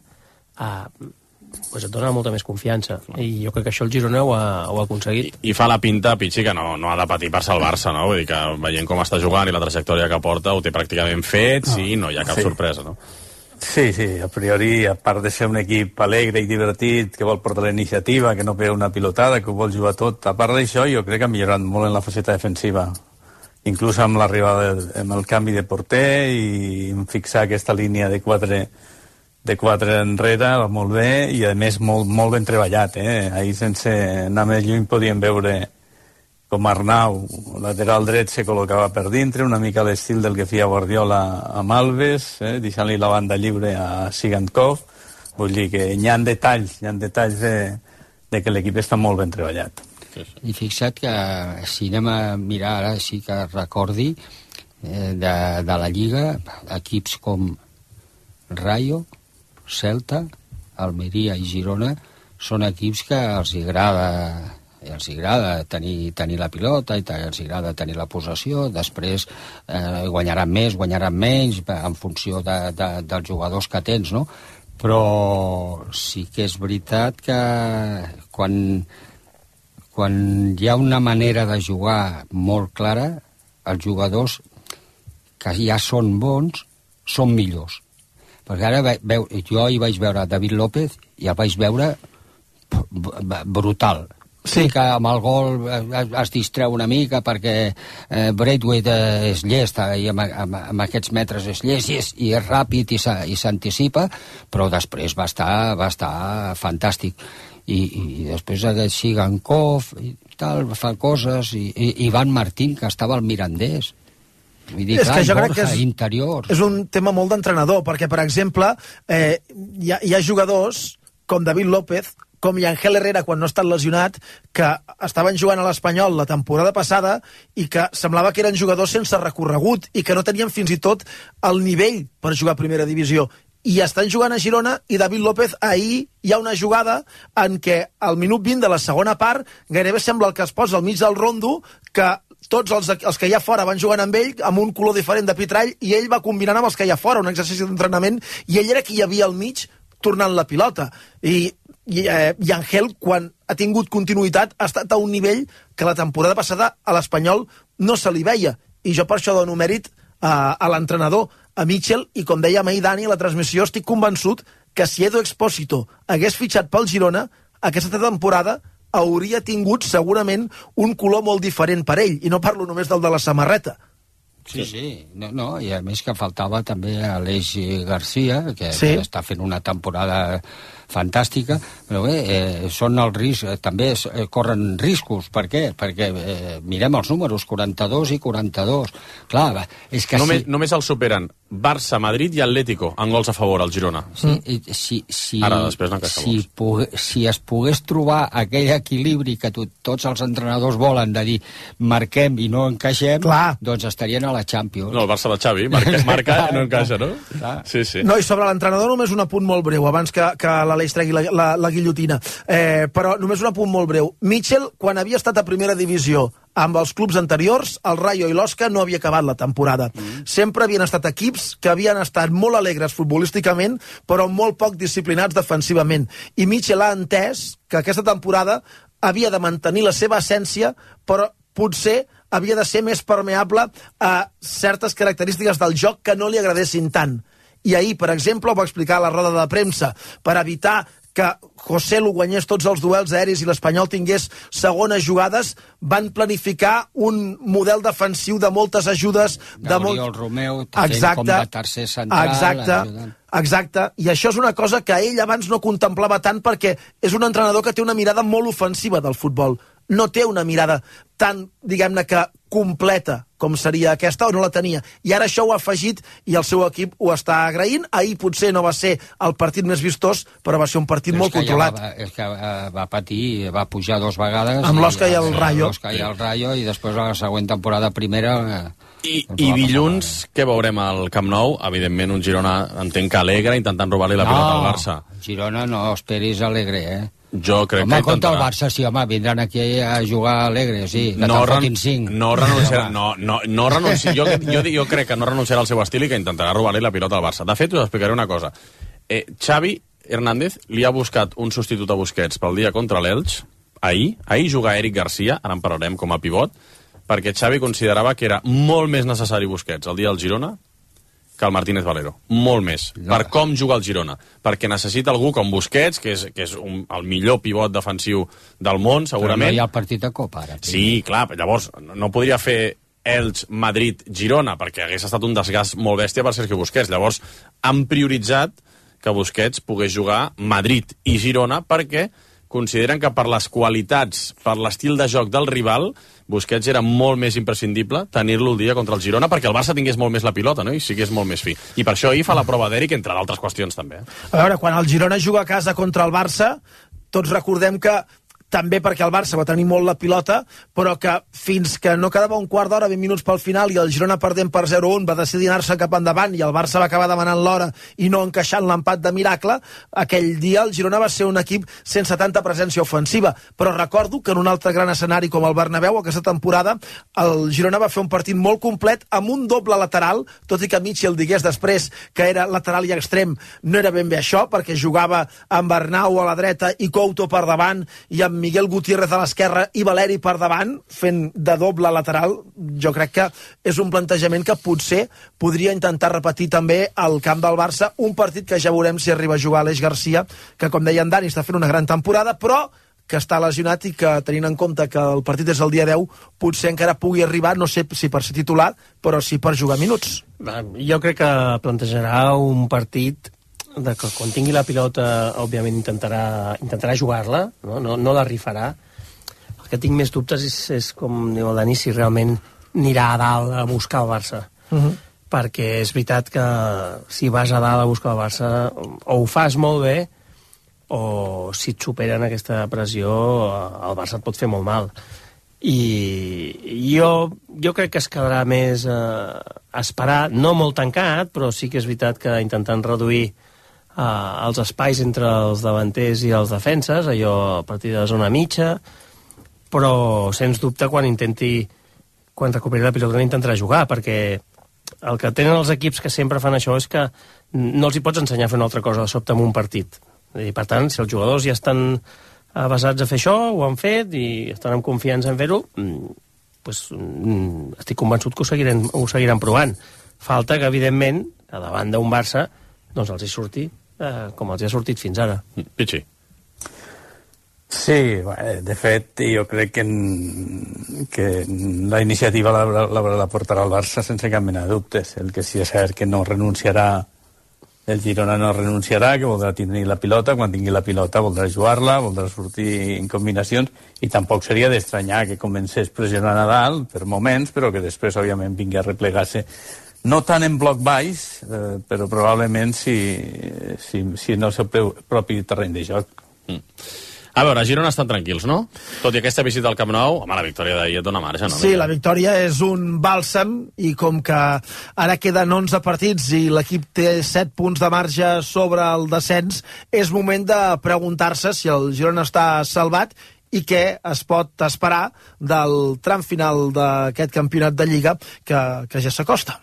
Speaker 6: et dona molta més confiança. I jo crec que això el Girona ho ha aconseguit.
Speaker 2: I fa la pinta, Pichi, que no ha de patir per salvar-se, no? Vull dir que veient com està jugant i la trajectòria que porta, ho té pràcticament fet, sí, no hi ha cap sorpresa, no?
Speaker 3: Sí, a priori, a part de ser un equip alegre i divertit, que vol portar la iniciativa, que no pega una pilotada, que ho vol jugar tot, a part d'això, jo crec que ha millorat molt en la faceta defensiva. Inclús amb l'arribada, amb el canvi de porter i fixar aquesta línia de quatre enrere, molt bé, i a més molt ben treballat. Ahir, sense anar més lluny, podíem veure com Arnau, lateral dret, se col·locava per dintre, una mica a l'estil del que feia Guardiola amb Alves, deixant-li la banda lliure a Sigankov. Vull dir que hi ha detalls de que l'equip està molt ben treballat.
Speaker 5: I fixa't que si anem a mirar ara, sí que recordi de la Lliga, equips com Rayo, Celta, Almeria i Girona són equips que els agrada tenir la pilota, i els agrada tenir la possessió. Després guanyaran més, guanyaran menys, en funció dels jugadors que tens, no? Però sí que és veritat que quan hi ha una manera de jugar molt clara, els jugadors que ja són bons són millors. Perquè ara jo hi vaig veure David López i el vaig veure brutal. Sí, que amb el gol es distreu una mica perquè Braithwaite és llest i amb aquests metres és llest i és ràpid i s'anticipa, però després va estar fantàstic. I després aquest Sigankov i tal, fa coses, i Ivan Martín, que estava al Mirandés. Vull dir, clar, Borja, interior.
Speaker 7: És un tema molt d'entrenador, perquè, per exemple, hi ha jugadors com David López, com Yangel Herrera quan no ha estat lesionat, que estaven jugant a l'Espanyol la temporada passada i que semblava que eren jugadors sense recorregut i que no tenien fins i tot el nivell per jugar a primera divisió. I estan jugant a Girona i David López ahir hi ha una jugada en què al minut 20 de la segona part gairebé sembla el que es posa al mig del rondo, que tots els que hi ha fora van jugant amb ell amb un color diferent de pitrall i ell va combinant amb els que hi ha fora, un exercici d'entrenament, i ell era qui hi havia al mig tornant la pilota. I Ángel, quan ha tingut continuïtat, ha estat a un nivell que la temporada passada a l'Espanyol no se li veia. I jo per això dono mèrit a l'entrenador, a Mitchell, i com deia ahir Dani a la transmissió, estic convençut que si Edu Expósito hagués fitxat pel Girona, aquesta temporada hauria tingut segurament un color molt diferent per ell, i no parlo només del de la samarreta.
Speaker 5: Sí. No, i a més que faltava també Aleix Garcia, que està fent una temporada fantàstica, però bé, són el risc, també corren riscos. Per què? Perquè mirem els números, 42 i 42. Clar, és que
Speaker 2: només els superen Barça, Madrid i Atlético en gols a favor al Girona. Ara, després no encaixar
Speaker 5: si es pogués trobar aquell equilibri que tots els entrenadors volen, de dir marquem i no encaixem, doncs estarien a la Champions.
Speaker 2: No, el Barça de Xavi, marca i no encaixa, no? Sí.
Speaker 7: No, i sobre l'entrenador només un apunt molt breu, abans que l'Aleix tregui la guillotina. Però només un apunt molt breu. Mitchell, quan havia estat a primera divisió amb els clubs anteriors, el Rayo i l'Osca no havia acabat la temporada. Sempre havien estat equips que havien estat molt alegres futbolísticament, però molt poc disciplinats defensivament. I Mitchell ha entès que aquesta temporada havia de mantenir la seva essència, però potser havia de ser més permeable a certes característiques del joc que no li agradessin tant. I ahir, per exemple, ho va explicar a la roda de premsa, per evitar que José Lu guanyés tots els duels aeris i l'Espanyol tingués segones jugades, van planificar un model defensiu de moltes ajudes.
Speaker 5: Gabriel Romeu, com de tercer central.
Speaker 7: Exacte, i això és una cosa que ell abans no contemplava tant, perquè és un entrenador que té una mirada molt ofensiva del futbol. No té una mirada tan, diguem-ne, que completa com seria aquesta, o no la tenia. I ara això ho ha afegit i el seu equip ho està agraint. Ahir potser no va ser el partit més vistós, però va ser un partit molt controlat.
Speaker 5: És que va patir, va pujar 2 vegades.
Speaker 7: Amb l'Osca i el Rayo.
Speaker 5: I després la següent temporada primera...
Speaker 2: I dilluns, què veurem al Camp Nou? Evidentment, un Girona, entenc que alegre, intentant robar-li la pilota al Barça.
Speaker 5: Girona no esperis alegre,
Speaker 2: Jo crec que
Speaker 5: intentarà. Contra el Barça, sí, home, vindran aquí a jugar alegre, sí, que te'n fotin 5.
Speaker 2: No renunciarà, jo crec que no renunciarà al seu estil i que intentarà robar-li la pilota al Barça. De fet, us explicaré una cosa. Xavi Hernández li ha buscat un substitut a Busquets pel dia contra l'Elx, ahir juga Eric Garcia, ara en parlarem com a pivot, perquè Xavi considerava que era molt més necessari Busquets el dia del Girona que el Martínez Valero. Molt més. Per com juga el Girona. Perquè necessita algú com Busquets, que és el millor pivot defensiu del món, segurament.
Speaker 5: Però no hi ha el partit de Copa, ara.
Speaker 2: Sí, clar, llavors no podria fer Elx, Madrid, Girona, perquè hagués estat un desgast molt bèstia per Sergio Busquets. Llavors han prioritzat que Busquets pogués jugar Madrid i Girona perquè consideren que per les qualitats, per l'estil de joc del rival, Busquets era molt més imprescindible tenir-lo el dia contra el Girona perquè el Barça tingués molt més la pilota, no? I sigués molt més fi. I per això ahir fa la prova d'Eric, entre d'altres qüestions també.
Speaker 7: A veure, quan el Girona juga a casa contra el Barça, tots recordem que també perquè el Barça va tenir molt la pilota, però que fins que no quedava un quart d'hora, 20 minuts pel final, i el Girona perdent per 0-1 va decidir anar-se cap endavant i el Barça va acabar demanant l'hora i no encaixant l'empat de miracle, aquell dia el Girona va ser un equip sense tanta presència ofensiva. Però recordo que en un altre gran escenari com el Bernabéu, aquesta temporada, el Girona va fer un partit molt complet amb un doble lateral, tot i que Mitchell digués després que era lateral i extrem, no era ben bé això, perquè jugava amb Arnau a la dreta i Couto per davant i amb Miguel Gutiérrez a l'esquerra i Valeri per davant, fent de doble lateral. Jo crec que és un plantejament que potser podria intentar repetir també al camp del Barça, un partit que ja veurem si arriba a jugar Aleix Garcia, que com deia en Dani està fent una gran temporada, però que està lesionat i que, tenint en compte que el partit és el dia 10, potser encara pugui arribar, no sé si per ser titular, però sí per jugar minuts.
Speaker 6: Jo crec que plantejarà un partit de que quan tingui la pilota, òbviament intentarà jugar-la, no la rifarà. El que tinc més dubtes és com diu el Dani, si realment anirà a dalt a buscar el Barça. Perquè és veritat que si vas a dalt a buscar el Barça, o ho fas molt bé, o si et superen aquesta pressió, el Barça et pot fer molt mal. I jo crec que es quedarà més a esperar, no molt tancat, però sí que és veritat que intentant reduir els espais entre els davanters i els defenses, allò a partir de zona mitja, però sens dubte quan recuperi la pilota intentarà jugar, perquè el que tenen els equips que sempre fan això és que no els hi pots ensenyar a fer una altra cosa de sobte en un partit. I, per tant, si els jugadors ja estan basats a fer això, ho han fet i estan amb confiança en fer-ho, doncs, estic convençut que ho seguiran provant. Falta que, evidentment, a davant d'un Barça, doncs els hi surti com els hi ha sortit fins ara.
Speaker 2: Pichi.
Speaker 3: Sí, de fet, jo crec que la iniciativa la portarà el Barça sense cap mena de dubtes. El que sí és cert que no renunciarà, el Girona no renunciarà, que voldrà tenir la pilota, quan tingui la pilota voldrà jugar-la, voldrà sortir en combinacions, i tampoc seria d'estranyar que comencés pressionant a dalt per moments, però que després, òbviament, vingui a replegar-se, no tant en bloc baix, però probablement si no el seu propi terreny de joc.
Speaker 2: A veure, a Girona estan tranquils, no? Tot i aquesta visita al Camp Nou, home, la victòria d'ahir et dona marge, no?
Speaker 7: Sí, la victòria és un bàlsam, i com que ara queden 11 partits i l'equip té 7 punts de marge sobre el descens, és moment de preguntar-se si el Girona està salvat i què es pot esperar del tram final d'aquest campionat de Lliga que ja s'acosta.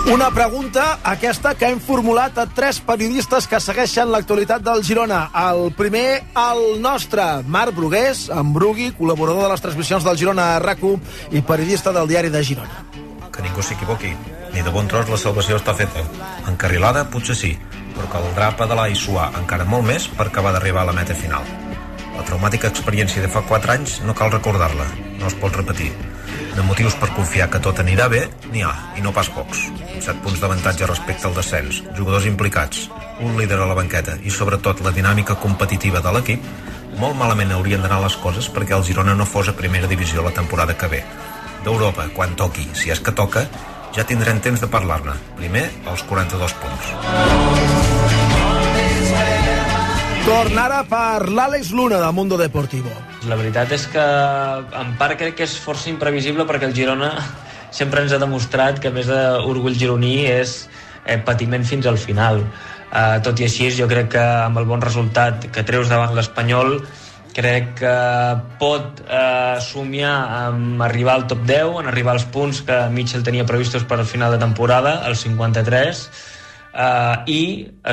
Speaker 7: Una pregunta, aquesta, que hem formulat a 3 periodistes que segueixen l'actualitat del Girona. El primer, el nostre, Marc Brugués, en Brugui, col·laborador de les transmissions del Girona a RAC1 i periodista del Diari de Girona.
Speaker 12: Que ningú s'equivoqui, ni de bon tros la salvació està feta. Encarrilada, potser sí, però caldrà pedalar i suar encara molt més per acabar d'arribar a la meta final. La traumàtica experiència de fa 4 anys no cal recordar-la, no es pot repetir. De motius per confiar que tot anirà bé, n'hi ha, i no pas pocs. 7 punts d'avantatge respecte al descens, jugadors implicats, un líder a la banqueta i sobretot la dinàmica competitiva de l'equip, molt malament haurien d'anar les coses perquè el Girona no fos a primera divisió la temporada que ve. D'Europa, quan toqui, si és que toca, ja tindrem temps de parlar-ne. Primer, els 42 punts.
Speaker 7: Torn ara per l'Àlex Luna, de Mundo Deportivo.
Speaker 13: La veritat és que en part crec que és força imprevisible perquè el Girona sempre ens ha demostrat que més d'orgull gironí és patiment fins al final. Tot i així, jo crec que amb el bon resultat que treus davant l'Espanyol, crec que pot somiar amb arribar al top 10, en arribar als punts que Mitchell tenia previstos per al final de temporada, els 53, i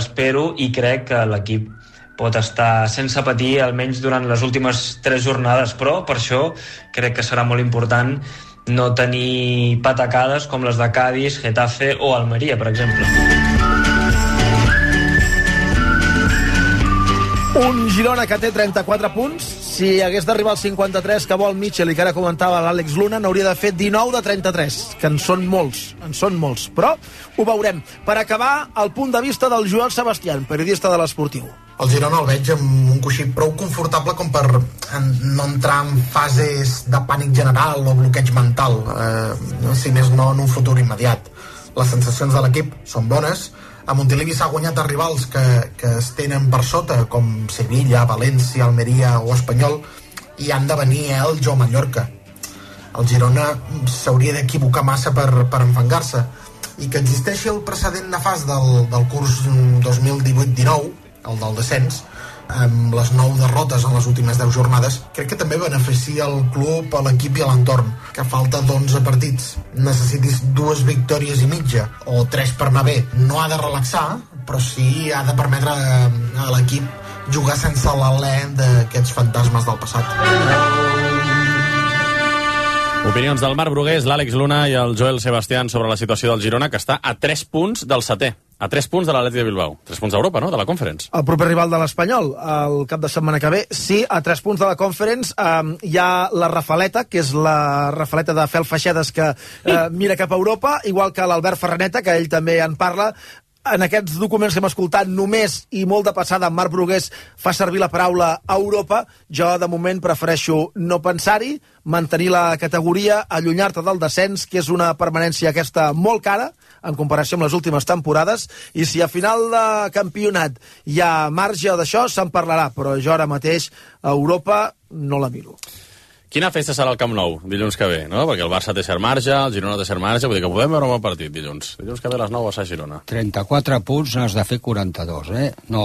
Speaker 13: espero i crec que l'equip pot estar sense patir almenys durant les últimes 3 jornades, però per això crec que serà molt important no tenir patacades com les de Cádiz, Getafe o Almeria, per exemple.
Speaker 7: Un Girona que té 34 punts. Si hagués d'arribar als 53 que vol Mitchell i que ara comentava l'Àlex Luna, n'hauria de fer 19 de 33, que en són molts, però ho veurem. Per acabar, el punt de vista del Joel Sebastián, periodista de l'Esportiu.
Speaker 14: El Girona el veig amb un coixí prou confortable com per no entrar en fases de pànic general o bloqueig mental, si més no en un futur immediat. Les sensacions de l'equip són bones. A Montilivi s'ha guanyat a rivals que es tenen per sota, com Sevilla, València, Almeria o Espanyol, i han de venir Elx o Mallorca. El Girona s'hauria d'equivocar massa per enfangar-se, i que existeixi el precedent nefast del curs 2018-19, el del descens, amb les 9 derrotes en les últimes 10 jornades, crec que també beneficia el club, a l'equip i a l'entorn. Que falta d'11 partits necessitis 2 victòries i mitja o 3 per anar bé. No ha de relaxar, però sí ha de permetre a l'equip jugar sense l'alè d'aquests fantasmes del passat.
Speaker 2: Opinions del Marc Brugués, l'Àlex Luna i el Joel Sebastián sobre la situació del Girona, que està a 3 punts del setè. A 3 punts de l'Atlètic de Bilbao. 3 punts d'Europa, no?, de la Conference.
Speaker 7: El proper rival de l'Espanyol, el cap de setmana que ve. Sí, a 3 punts de la Conference hi ha la Rafaleta, que és la Rafaleta de Fel Feixedes, que mira cap a Europa, igual que l'Albert Ferraneta, que ell també en parla. en aquests documents que hem escoltat només i molt de passada en Marc Brugués fa servir la paraula Europa. Jo de moment prefereixo no pensar-hi, mantenir la categoria, allunyar-te del descens, que és una permanència aquesta molt cara en comparació amb les últimes temporades, i si a final de campionat hi ha marge d'això se'n parlarà, però jo ara mateix a Europa no la miro.
Speaker 2: Quina festa serà al Camp Nou dilluns que ve, no? Perquè el Barça té cert marge, el Girona té cert marge, vull dir que podem veure un bon partit dilluns. Dilluns que ve a les 9 a Girona.
Speaker 5: 34 punts n'has de fer 42, No,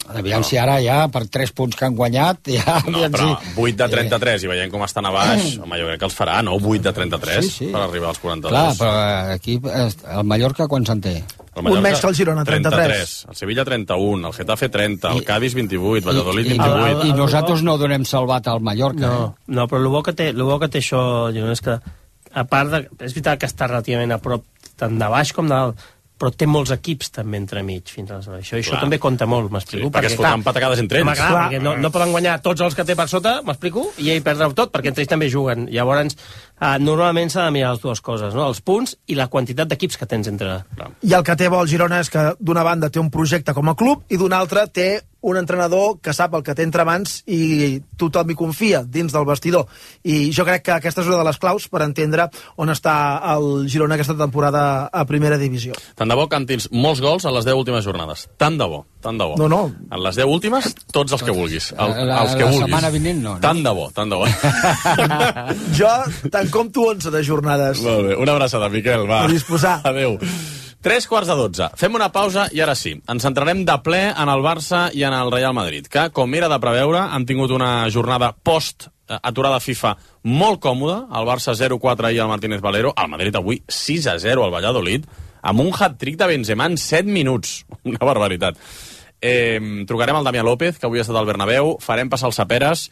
Speaker 5: aviam si ara ja, per 3 punts que han guanyat... Ja,
Speaker 2: no, però 8 de 33 i veient com estan a baix, home, jo crec que els farà, no? 8 de 33 per arribar als 42.
Speaker 5: Clar, però aquí el Mallorca quan se'n té?
Speaker 7: Un més que el Girona, 33.
Speaker 2: El Sevilla 31, el Getafe 30, el Cádiz 28, Valladolid 28...
Speaker 5: I nosaltres no donem salvat al Mallorca.
Speaker 6: No, però el bo que té això, Girona, és que, a part de... És veritat que està relativament a prop tant de baix com de dalt, però té molts equips també entremig fins a això també compta molt, m'explico.
Speaker 2: Sí, perquè es fotran patacades entre ells.
Speaker 6: Clar, perquè no poden guanyar tots els que té per sota, m'explico, i ell perdrà tot, perquè entre ells també juguen. Llavors, normalment s'ha de mirar les dues coses, no? Els punts i la quantitat d'equips que tens entre...
Speaker 7: I el que té bo el Girona és que d'una banda té un projecte com a club i d'una altra té un entrenador que sap el que té entre mans i tothom hi confia dins del vestidor. I jo crec que aquesta és una de les claus per entendre on està el Girona aquesta temporada a primera divisió.
Speaker 2: Tant de bo cantis molts gols a les 10 últimes jornades. Tant de bo, tant de bo.
Speaker 7: No.
Speaker 2: En les 10 últimes, tots els que vulguis. Els que vulguis.
Speaker 5: La setmana vinent no.
Speaker 2: Tant de bo, tant de bo.
Speaker 7: Jo te'n compto 11 de jornades.
Speaker 2: Molt bé, una abraçada, Miquel, va.
Speaker 7: A disposar.
Speaker 2: Adéu. 3:45. Fem una pausa i ara sí. Ens centrarem de ple en el Barça i en el Real Madrid, que, com era de preveure, han tingut una jornada post-aturada FIFA molt còmoda. El Barça 0-4 ahir al Martínez Valero. El Madrid avui 6-0 al Valladolid, amb un hat-trick de Benzema en 7 minuts. Una barbaritat. Trucarem al Damià López, que avui ha estat al Bernabéu. Farem passar els Saperes.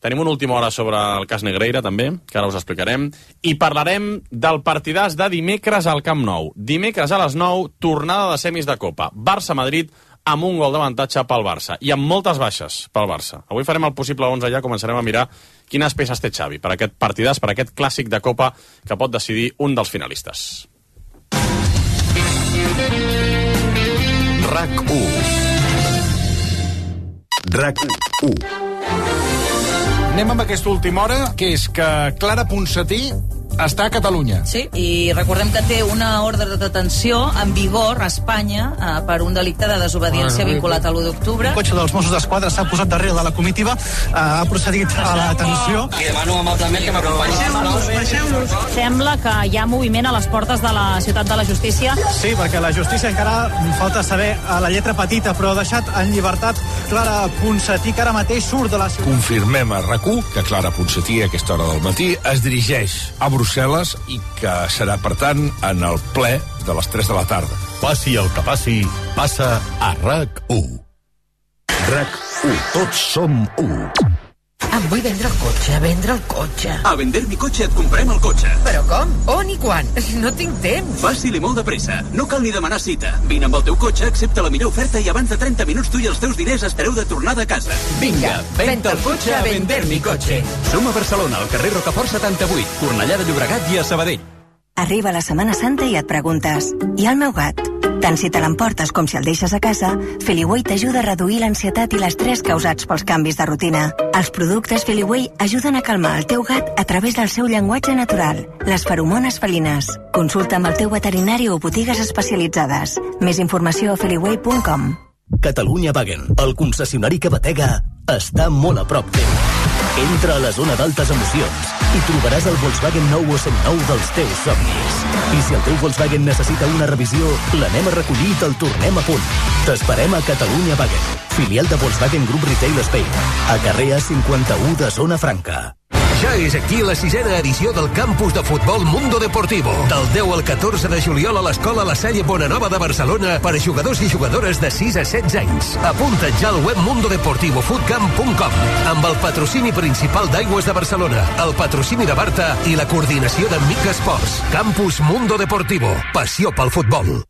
Speaker 2: Tenim una última hora sobre el cas Negreira, també, que ara us explicarem. I parlarem del partidàs de dimecres al Camp Nou. Dimecres a les 9, tornada de semis de Copa. Barça-Madrid amb un gol d'avantatge pel Barça. I amb moltes baixes pel Barça. Avui farem el possible 11 ja, començarem a mirar quines peces té Xavi per aquest partidàs, per aquest clàssic de Copa que pot decidir un dels finalistes.
Speaker 1: RAC1. RAC1.
Speaker 15: Anem amb aquesta última hora, que és que Clara Ponsatí està a Catalunya.
Speaker 16: Sí, i recordem que té una ordre de detenció en vigor a Espanya per un delicte de desobediència vinculat a l'1 d'octubre.
Speaker 17: El cotxe dels Mossos d'Esquadra s'ha posat darrere de la comitiva, ha procedit a la detenció.
Speaker 18: I demano amablement que m'acompanyi.
Speaker 16: Baixeu-nos. Sembla que hi ha moviment a les portes de la Ciutat de la Justícia.
Speaker 17: Sí, perquè la justícia encara falta saber a la lletra petita, però ha deixat en llibertat Clara Ponsatí, que ara mateix surt de la ciutat.
Speaker 1: Confirmem a RAC1 que Clara Ponsatí a aquesta hora del matí es dirigeix a Brussel·les i que serà, per tant, en el ple de les 3 de la tarda. Passi el que passi, passa a RAC1. RAC1. Tots som 1.
Speaker 19: Em vull vendre el cotxe.
Speaker 20: A Vender mi cotxe et comprem el cotxe.
Speaker 19: Però com? On i quan? No tinc temps.
Speaker 20: Fàcil i molt de pressa. No cal ni demanar cita. Vine amb el teu cotxe, accepta la millor oferta i abans de 30 minuts tu i els teus diners estareu de tornada a casa.
Speaker 19: Vinga, venda el cotxe a Vender mi cotxe.
Speaker 20: Som a Barcelona, al carrer Rocafort 78, Cornellà de Llobregat i a Sabadell.
Speaker 11: Arriba la Setmana Santa i et preguntes: i el meu gat? Tant si te l'emportes com si el deixes a casa, Feliway t'ajuda a reduir l'ansietat i l'estrès causats pels canvis de rutina. Els productes Feliway ajuden a calmar el teu gat a través del seu llenguatge natural, les feromones felines. Consulta amb el teu veterinari o botigues especialitzades. Més informació a feliway.com.
Speaker 10: Catalunya Wagen, el concessionari que batega, està molt a prop teu. Entra a la zona d'altes emocions i trobaràs el Volkswagen nou o seminou dels teus somnis. I si el teu Volkswagen necessita una revisió, l'anem a recollir i te'l tornem a punt. T'esperem a Catalunya Wagen, filial de Volkswagen Group Retail Spain, a carrer A51 de Zona Franca.
Speaker 8: Ja és aquí la 6a edició del campus de futbol Mundo Deportivo. Del 10 al 14 de juliol a l'Escola La Salle Bonanova de Barcelona per a jugadors i jugadores de 6 a 16 anys. Apunta't ja al web mundodeportivofootcamp.com amb el patrocini principal d'Aigües de Barcelona, el patrocini de Barta i la coordinació de Mic Esports. Campus Mundo Deportivo. Passió pel futbol.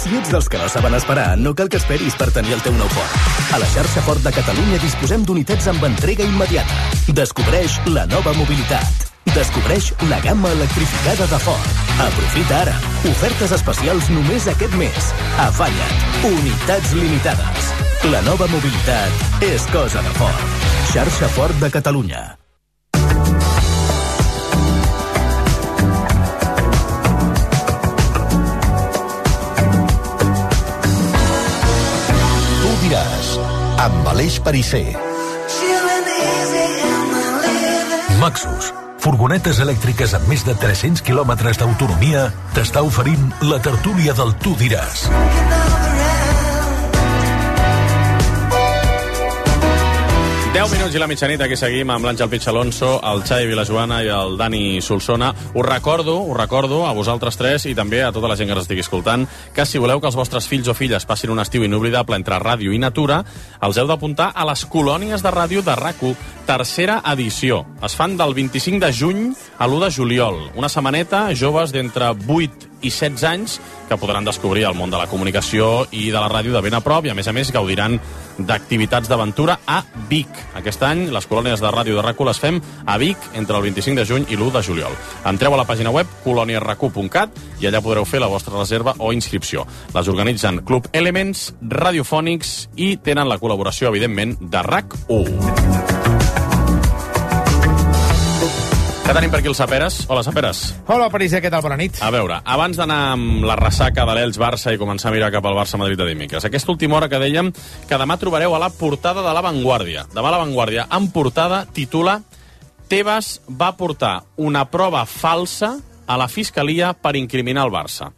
Speaker 10: Si ets dels que no saben esperar, no cal que esperis per tenir el teu nou Ford. A la xarxa Ford de Catalunya disposem d'unitats amb entrega immediata. Descobreix la nova mobilitat. Descobreix la gamma electrificada de Ford. Aprofita ara. Ofertes especials només aquest mes. Afanya't. Unitats limitades. La nova mobilitat és cosa de Ford. Xarxa Ford de Catalunya.
Speaker 21: Tu diràs, amb Aleix Perisser. Maxus, furgonetes elèctriques amb més de 300 quilòmetres d'autonomia, t'està oferint la tertúlia del Tu diràs.
Speaker 2: Minuts i la mitjanit, aquí seguim amb l'Àngel Pich Alonso, el Xavi Vilajoana i el Dani Solsona. Us recordo a vosaltres tres i també a tota la gent que ens estigui escoltant que si voleu que els vostres fills o filles passin un estiu inoblidable entre ràdio i natura, els heu d'apuntar a les colònies de ràdio de RAC1, tercera edició. Es fan del 25 de juny a l'1 de juliol. Una setmaneta, joves d'entre 8 i 16 anys que podran descobrir el món de la comunicació i de la ràdio de ben a prop i, a més, gaudiran d'activitats d'aventura a Vic. Aquest any, les colònies de ràdio de RAC1 les fem a Vic entre el 25 de juny i l'1 de juliol. Entreu a la pàgina web coloniarac1.cat i allà podreu fer la vostra reserva o inscripció. Les organitzen Club Elements, Radiofònics i tenen la col·laboració, evidentment, de RAC1. Què tenim per aquí, els Saperes? Hola, Saperes.
Speaker 22: Hola, Perisser, què tal? Bona nit.
Speaker 2: A veure, abans d'anar amb la ressaca de l'Elx-Barça i començar a mirar cap al Barça-Madrid de dimecres, aquesta última hora que dèiem que demà trobareu a la portada de La Vanguardia. Demà La Vanguardia, en portada, titula Tebas va portar una prova falsa a la Fiscalia per incriminar el Barça.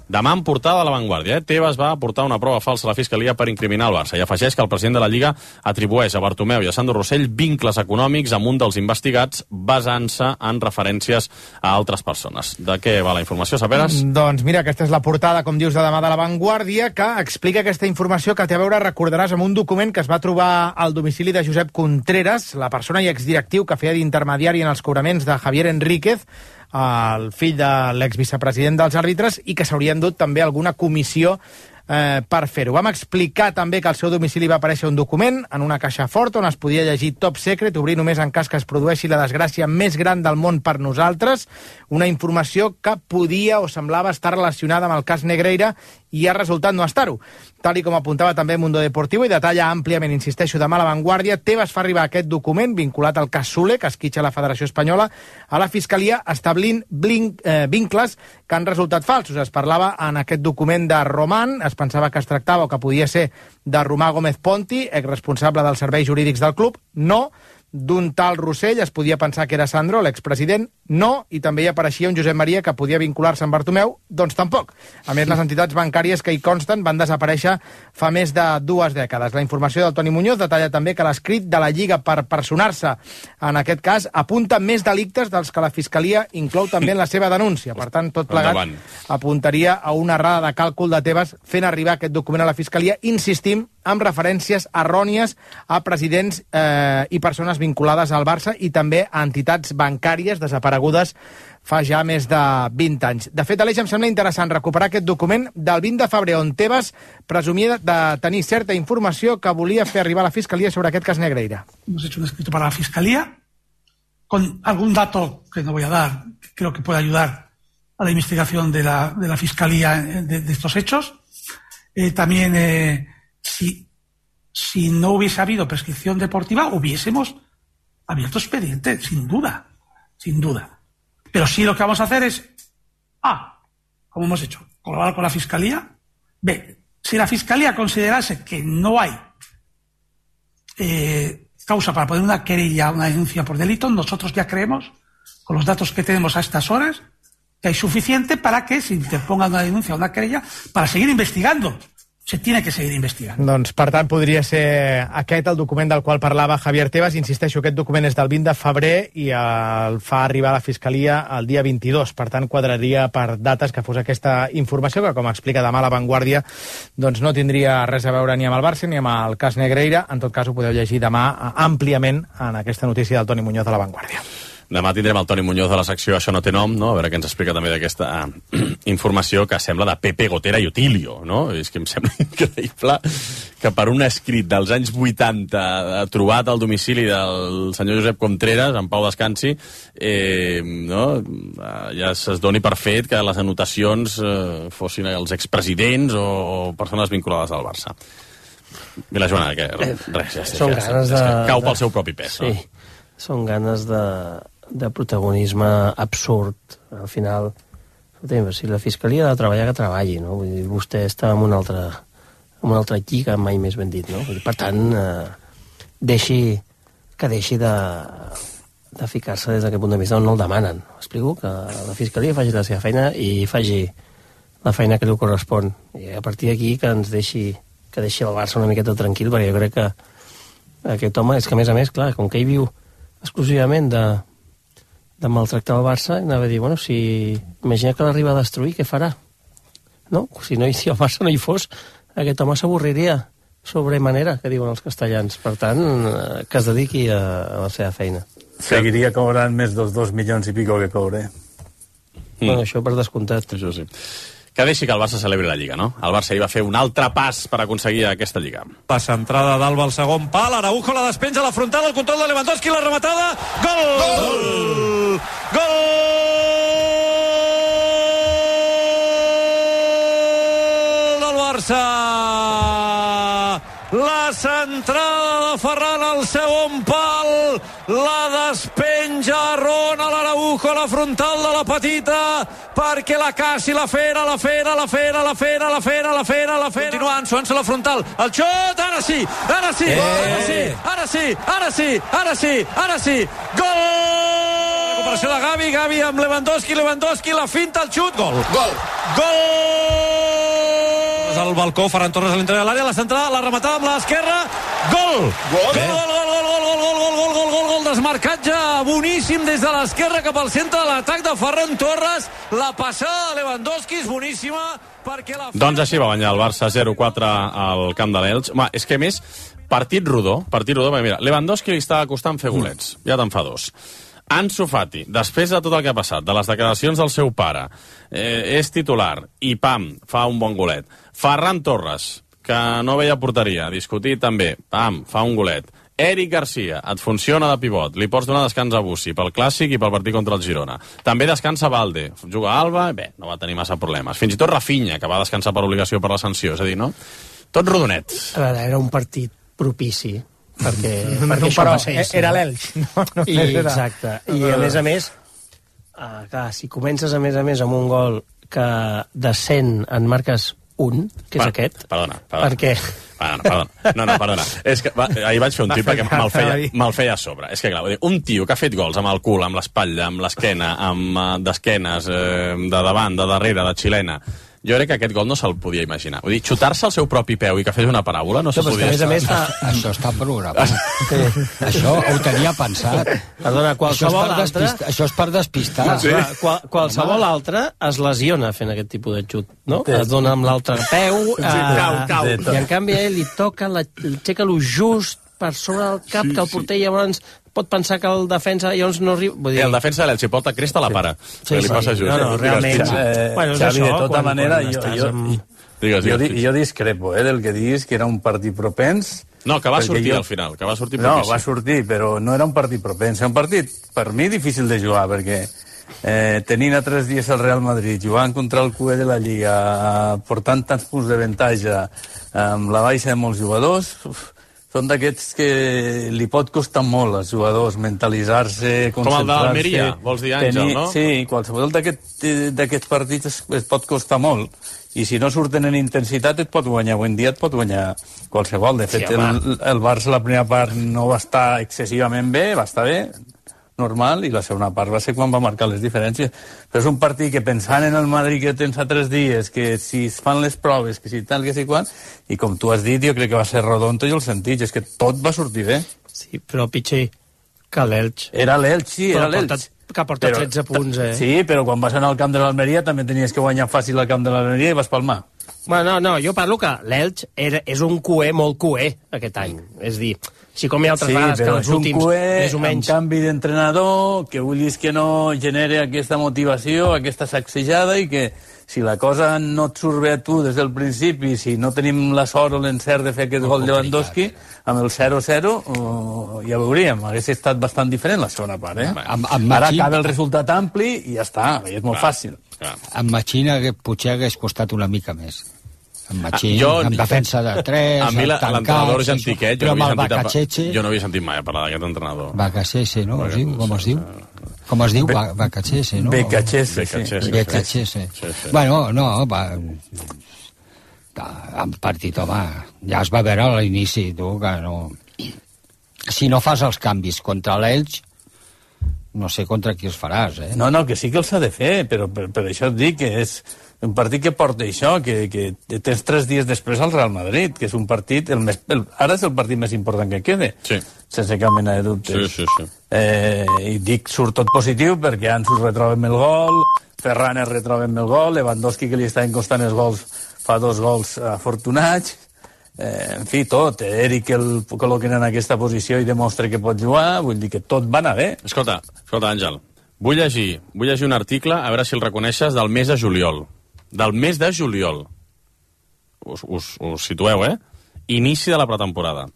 Speaker 2: Demà en portada de La Vanguardia, Tebas va aportar una prova falsa a la Fiscalia per incriminar el Barça i afegeix que el president de la Lliga atribueix a Bartomeu i a Sandro Rossell vincles econòmics amb un dels investigats basant-se en referències a altres persones. De què va la informació, Saperes?
Speaker 22: Doncs mira, aquesta és la portada, com dius, de demà de La Vanguardia, que explica aquesta informació que té a veure, recordaràs, amb un document que es va trobar al domicili de Josep Contreras, la persona i exdirectiu que feia d'intermediari en els cobraments de Javier Enríquez, el fill de l'exvicepresident dels àrbitres, i que s'haurien dut també alguna comissió per fer-ho. Vam explicar també que al seu domicili va aparèixer un document en una caixa forta on es podia llegir Top Secret, obrir només en cas que es produeixi la desgràcia més gran del món per nosaltres, una informació que podia o semblava estar relacionada amb el cas Negreira i ha resultat no estar-ho. Tal i com apuntava també Mundo Deportivo i detalla àmpliament, insisteixo, demà a La Vanguardia, Tebas fa arribar aquest document vinculat al cas Soler, que esquitxa la Federació Espanyola, a la Fiscalia, establint vincles que han resultat falsos. Es parlava en aquest document de Román, es pensava que es tractava o que podia ser de Romà Gómez Ponti, exresponsable dels serveis jurídics del club. No. D'un tal Rossell es podia pensar que era Sandro, l'expresident. No. I també hi apareixia un Josep Maria que podia vincular-se amb Bartomeu. Doncs tampoc. A més, les entitats bancàries que hi consten van desaparèixer fa més de 2 dècades. La informació del Toni Muñoz detalla també que l'escrit de la Lliga per personar-se en aquest cas apunta més delictes dels que la Fiscalia inclou també en la seva denúncia. Per tant, tot plegat apuntaria a una errada de càlcul de Tebas fent arribar aquest document a la Fiscalia, insistim, amb referències errònies a presidents i persones vinculades al Barça i també a entitats bancàries desaparegudes fa ja més de 20 anys. De fet, Aleix, em sembla interessant recuperar aquest document del 20 de febrer on Tebas presumia de tenir certa informació que volia fer arribar a la Fiscalia sobre aquest cas Negreira.
Speaker 23: Hemos hecho un escrito para la Fiscalía con algún dato que no voy a dar, que creo que puede ayudar a la investigación de la Fiscalía de estos hechos. También, si no hubiese habido prescripción deportiva, hubiésemos abierto expediente, sin duda. Pero sí lo que vamos a hacer es, como hemos hecho, colaborar con la Fiscalía. B, si la Fiscalía considerase que no hay causa para poner una querella, una denuncia por delito, nosotros ya creemos, con los datos que tenemos a estas horas, que hay suficiente para que se interponga una denuncia o una querella para seguir investigando. Se tiene que seguir investigant.
Speaker 22: Doncs, per tant, podria ser aquest el document del qual parlava Javier Tebas. Insisteixo, aquest document és del 20 de febrer i el fa arribar a la Fiscalia el dia 22. Per tant, quadraria per dates que fos aquesta informació, que, com explica demà La Vanguardia, doncs no tindria res a veure ni amb el Barça ni amb el cas Negreira. En tot cas, ho podeu llegir demà àmpliament en aquesta notícia del Toni Muñoz de La Vanguardia.
Speaker 2: Demà tindrem el Toni Muñoz de la secció Això no té nom, no? A veure què ens explica també d'aquesta informació que sembla de Pepe, Gotera i Otilio, no? És que em sembla increïble que per un escrit dels anys 80 trobat al domicili del senyor Josep Contreras, en Pau Descansi, ja es doni per fet que les anotacions fossin els expresidents o persones vinculades al Barça. I la Joana, que res, cau pel seu propi pes.
Speaker 6: Sí, són ganes de protagonisme absurd. Al final, si la Fiscalia ha de treballar, que treballi, no? Vull dir, vostè està en una altra lliga, mai més ben dit, no? Per tant, deixi de ficar-se des d'aquest punt de vista on no el demanen. Explico que la Fiscalia faci la seva feina i faci la feina que li correspon. I a partir d'aquí que deixi el Barça una miqueta tranquil, perquè jo crec que aquest home, és que a més, clar, com que ell viu exclusivament de maltractar el Barça, anava a dir, bueno, si imagina que l'arriba a destruir, què farà? No? Si el Barça no hi fos, aquest home s'avorriria sobremanera, que diuen els castellans. Per tant, que es dediqui a la seva feina.
Speaker 3: Seguiria cobrant més dels 2 milions i pico que cobre.
Speaker 6: Bueno, això per descomptat.
Speaker 2: Això sí. Que deixi que el Barça celebri la Lliga, no? El Barça hi va fer un altre pas per aconseguir aquesta Lliga.
Speaker 4: La centrada d'Alba al segon pal, Araujo la despenja a la frontal, el control de Lewandowski, la rematada, gol! Gol! Gol! Del Barça! La centrada de Ferran al segon pal, la despenja Ronald Araujo a la frontal de la petita, perquè la caci la fera. Continuant, Suanso a la frontal, el xot, ara sí, gol! Recuperació de Gavi amb Lewandowski, la finta, el xut, gol! Al balcó, Ferran Torres a l'interior de l'àrea, la centrada, la rematada amb l'esquerra, gol! Gol, desmarcatge boníssim des de l'esquerra cap al centre de l'atac de Ferran Torres, la passada de Lewandowski és boníssima perquè la...
Speaker 2: Doncs així va guanyar el Barça 0-4 al camp de l'Elx. És que a més, partit rodó, perquè mira, Lewandowski li està costant fer golets, ja te'n fa 2. Ansu Fati, després de tot el que ha passat, de les declaracions del seu pare, és titular i pam, fa un bon golet. Ferran Torres, que no veia porteria, discutit també, pam, fa un golet. Eric Garcia, et funciona de pivot, li pots donar descans a Bussi pel Clàssic i pel partit contra el Girona. També descansa Valde, juga a Alba, bé, no va tenir massa problemes. Fins i tot Rafinha, que va descansar per obligació per la sanció, és a dir, no? Tot rodonet.
Speaker 6: A veure, era un partit propici, perquè això passés.
Speaker 22: Era l'Elx.
Speaker 6: Exacte. I a més, clar, si comences a més amb un gol que de 100 en marques un, que és aquest.
Speaker 2: Perdona.
Speaker 6: Perquè...
Speaker 2: Perdona. És que ahir vaig fer un tip perquè me'l feia a sobre. És que, clar, un tio que ha fet gols amb el cul, amb l'espatlla, amb l'esquena, amb d'esquenes, de davant, de darrere, de xilena... Jo crec que aquest gol no se'l podia imaginar. Vull dir, xutar-se el seu propi peu i que fes una paràbola no se podia...
Speaker 5: A més, això està programat. Això ho tenia pensat.
Speaker 6: Perdona, qualsevol altre...
Speaker 5: Això és per despistar.
Speaker 6: Sí. Qualsevol altre es lesiona fent aquest tipus de xut, no? Es dona amb l'altre peu...
Speaker 2: Cau.
Speaker 6: I en canvi ell li toca, aixeca-lo just per sobre del cap, que el porter llavors pot pensar que el defensa llavors no arriba...
Speaker 2: Vull dir... El defensa de l'Elx porta cresta a la para. Sí, li passa just.
Speaker 6: No, realment...
Speaker 3: Xavi, de tota manera, jo discrepo del que diguis que era un partit propens.
Speaker 2: No, que va sortir al final, que va sortir propici.
Speaker 3: No, va sortir, però no era un partit propens. Era un partit, per mi, difícil de jugar, perquè tenint a 3 dies el Real Madrid, jugant contra el QE de la Lliga, portant tants punts d'avantatge, amb la baixa de molts jugadors... Són d'aquests que li pot costar molt als jugadors mentalitzar-se, concentrar-se...
Speaker 2: Com el d'Almeria, vols dir, Àngel, no?
Speaker 3: Sí, qualsevol d'aquests partits es pot costar molt. I si no surten en intensitat et pot guanyar. Avui en dia et pot guanyar qualsevol. De fet, el Barça la primera part no va estar excessivament bé, va estar bé, normal, i la segona part va ser quan va marcar les diferències. Però és un partit que pensant en el Madrid que tens a 3 dies, que si es fan les proves, que si tal, que si quan, i com tu has dit, jo crec que va ser rodonto i el sentit, és que tot va sortir bé.
Speaker 6: Sí, però pitjor que l'Elx.
Speaker 3: Era l'Elx, sí, era l'Elx.
Speaker 6: Que porta 13 punts,
Speaker 3: Sí, però quan vas anar al camp de l'Almeria també tenies que guanyar fàcil al camp de l'Almeria i vas palmar.
Speaker 6: Bueno, no, jo parlo que l'Elx és un QE molt QE aquest any. És dir, Sí, com hi ha altres vegades que els últims, més o menys...
Speaker 3: Un canvi d'entrenador, que vulguis que no genere aquesta motivació, aquesta sacsejada, i que si la cosa no et surt bé a tu des del principi, si no tenim la sort o l'encert de fer aquest gol Lewandowski, amb el 0-0 ja veuríem. Hauria estat bastant diferent la segona part, eh? Ara acaba el resultat ampli i ja està, és molt fàcil.
Speaker 5: Amb Machín potser hagués costat una mica més. Amb Machín, amb defensa de 3,
Speaker 2: a mi l'entrenador Jantiquet, jo no havia sentit mai parlar d'aquest entrenador.
Speaker 5: Bacachese, no? Com es diu? Com es diu? Bacachese, no?
Speaker 3: Bacachese.
Speaker 5: Bueno, no, en partit, home, ja es va veure a l'inici, tu, que no... Si no fas els canvis contra l'Elx, no sé contra qui els faràs, eh?
Speaker 3: No, que sí que els ha de fer, però per això et dic que és un partit que porta això, que tens 3 dies després al Real Madrid, que és un partit... Ara és el partit més important que quede, sense cap mena de dubtes. I dic, surt tot positiu perquè Ansu retroba amb el gol, Ferran es retroba amb el gol, Lewandowski, que li està encostant els gols, fa 2 gols afortunats, en fi, tot. Eric el col·loquen en aquesta posició i demostra que pot jugar, vull dir que tot va anar bé.
Speaker 2: Escolta, Àngel, vull llegir un article, a veure si el reconeixes, del mes de juliol. Del mes de juliol. Us situeu, eh? Inici de la pretemporada.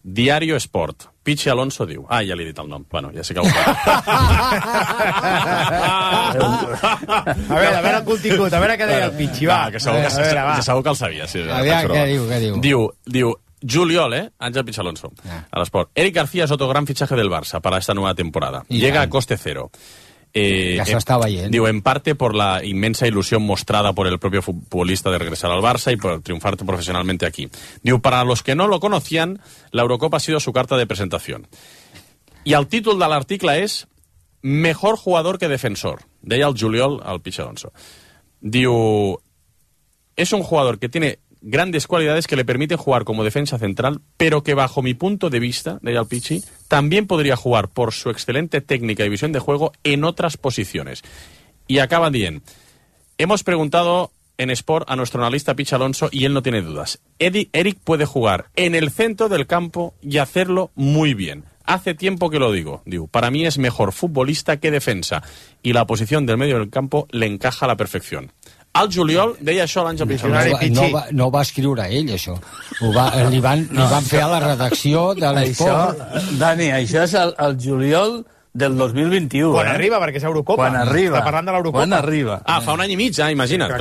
Speaker 2: Diario Sport. Pichi Alonso diu... ja li he dit el nom. Bueno, ja sé que ho fa.
Speaker 22: A veure el contingut, a veure què deia el Pichi, va.
Speaker 2: Que segur que el sabia. Sí,
Speaker 5: què diu?
Speaker 2: Diu, juliol, Ángel Pichi Alonso, a l'Esport. Eric García es otro gran fichaje del Barça para esta nueva temporada. Llega a coste cero.
Speaker 5: Ya se está viendo.
Speaker 2: Digo, en parte por la inmensa ilusión mostrada por el propio futbolista de regresar al Barça y por triunfar profesionalmente aquí. Digo, para los que no lo conocían, la Eurocopa ha sido su carta de presentación. Y el títol de l'article és Mejor jugador que defensor. Deia el juliol al Pichi Alonso. Diu, es un jugador que tiene grandes cualidades que le permiten jugar como defensa central, pero que bajo mi punto de vista, deia el Pichi, también podría jugar por su excelente técnica y visión de juego en otras posiciones. Y acaban diciendo, hemos preguntado en Sport a nuestro analista Pichi Alonso y él no tiene dudas. Eric puede jugar en el centro del campo y hacerlo muy bien. Hace tiempo que lo digo. Para mí es mejor futbolista que defensa y la posición del medio del campo le encaja a la perfección. Al juliol deia això l'Àngel Pichi Alonso.
Speaker 5: No va escriure ell, això. Li van fer a la redacció de l'Esport.
Speaker 3: Dani, això és el juliol del 2021.
Speaker 22: Quan arriba, perquè és Eurocopa.
Speaker 3: Quan arriba.
Speaker 22: Està parlant de l'Eurocopa.
Speaker 3: Quan arriba.
Speaker 2: Fa un any i mig, imagina't.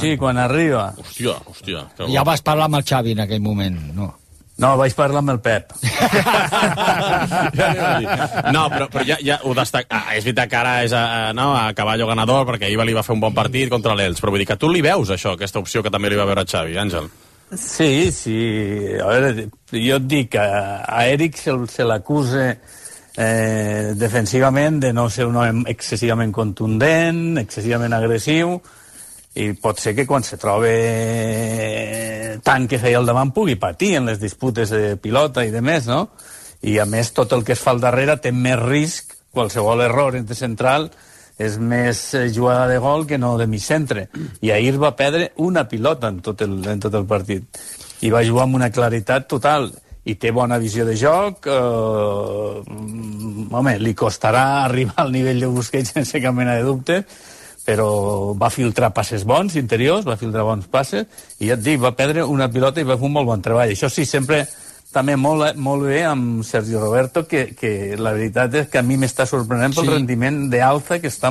Speaker 3: Sí, quan arriba.
Speaker 2: Hòstia.
Speaker 5: Ja vas parlar amb el Xavi en aquell moment, no?
Speaker 3: No, vaig parlar amb el Pep.
Speaker 2: No, però ja ho destaca. És veritat que ara és a caballo ganador, perquè ahir li va fer un bon partit contra l'Elx, però vull dir que tu li veus això, aquesta opció que també li va veure a Xavi, Àngel?
Speaker 3: Sí. A veure, jo et dic que a Eric se l'acusa defensivament de no ser un home excessivament contundent, excessivament agressiu, i pot ser que quan se trobe tant que feia al davant pugui patir en les disputes de pilota i de més, no? I a més tot el que es fa al darrere té més risc, qualsevol error entre central és més jugada de gol que no de mig centre, i ahir va perdre una pilota en tot el partit i va jugar amb una claritat total i té bona visió de joc. Home, li costarà arribar al nivell de Busquets sense cap mena de dubte, però va filtrar passes bons interiors, va filtrar bons passes, i ja et dic, va perdre una pilota i va fer un molt bon treball. Això sí, sempre també molt bé amb Sergio Roberto, que la veritat és que a mi m'està sorprenent pel rendiment d'alça que està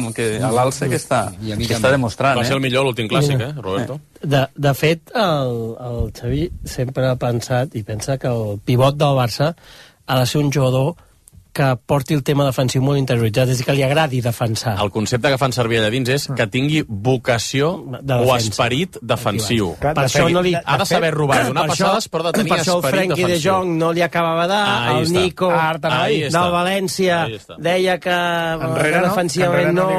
Speaker 3: demostrant.
Speaker 2: Va ser el millor l'últim clàssic, Roberto?
Speaker 6: De fet, el Xavi sempre ha pensat i pensa que el pivot del Barça ha de ser un jugador que porti el tema defensiu molt interioritzat, és a dir, que li agradi defensar.
Speaker 2: El concepte que fan servir allà dins és que tingui vocació o esperit defensiu.
Speaker 6: Per això no li...
Speaker 2: Ha de saber robar, donar passades, però de tenir esperit defensiu.
Speaker 6: Per això el Frenkie de Jong no li acabava de... El Nico del València deia que defensivament no...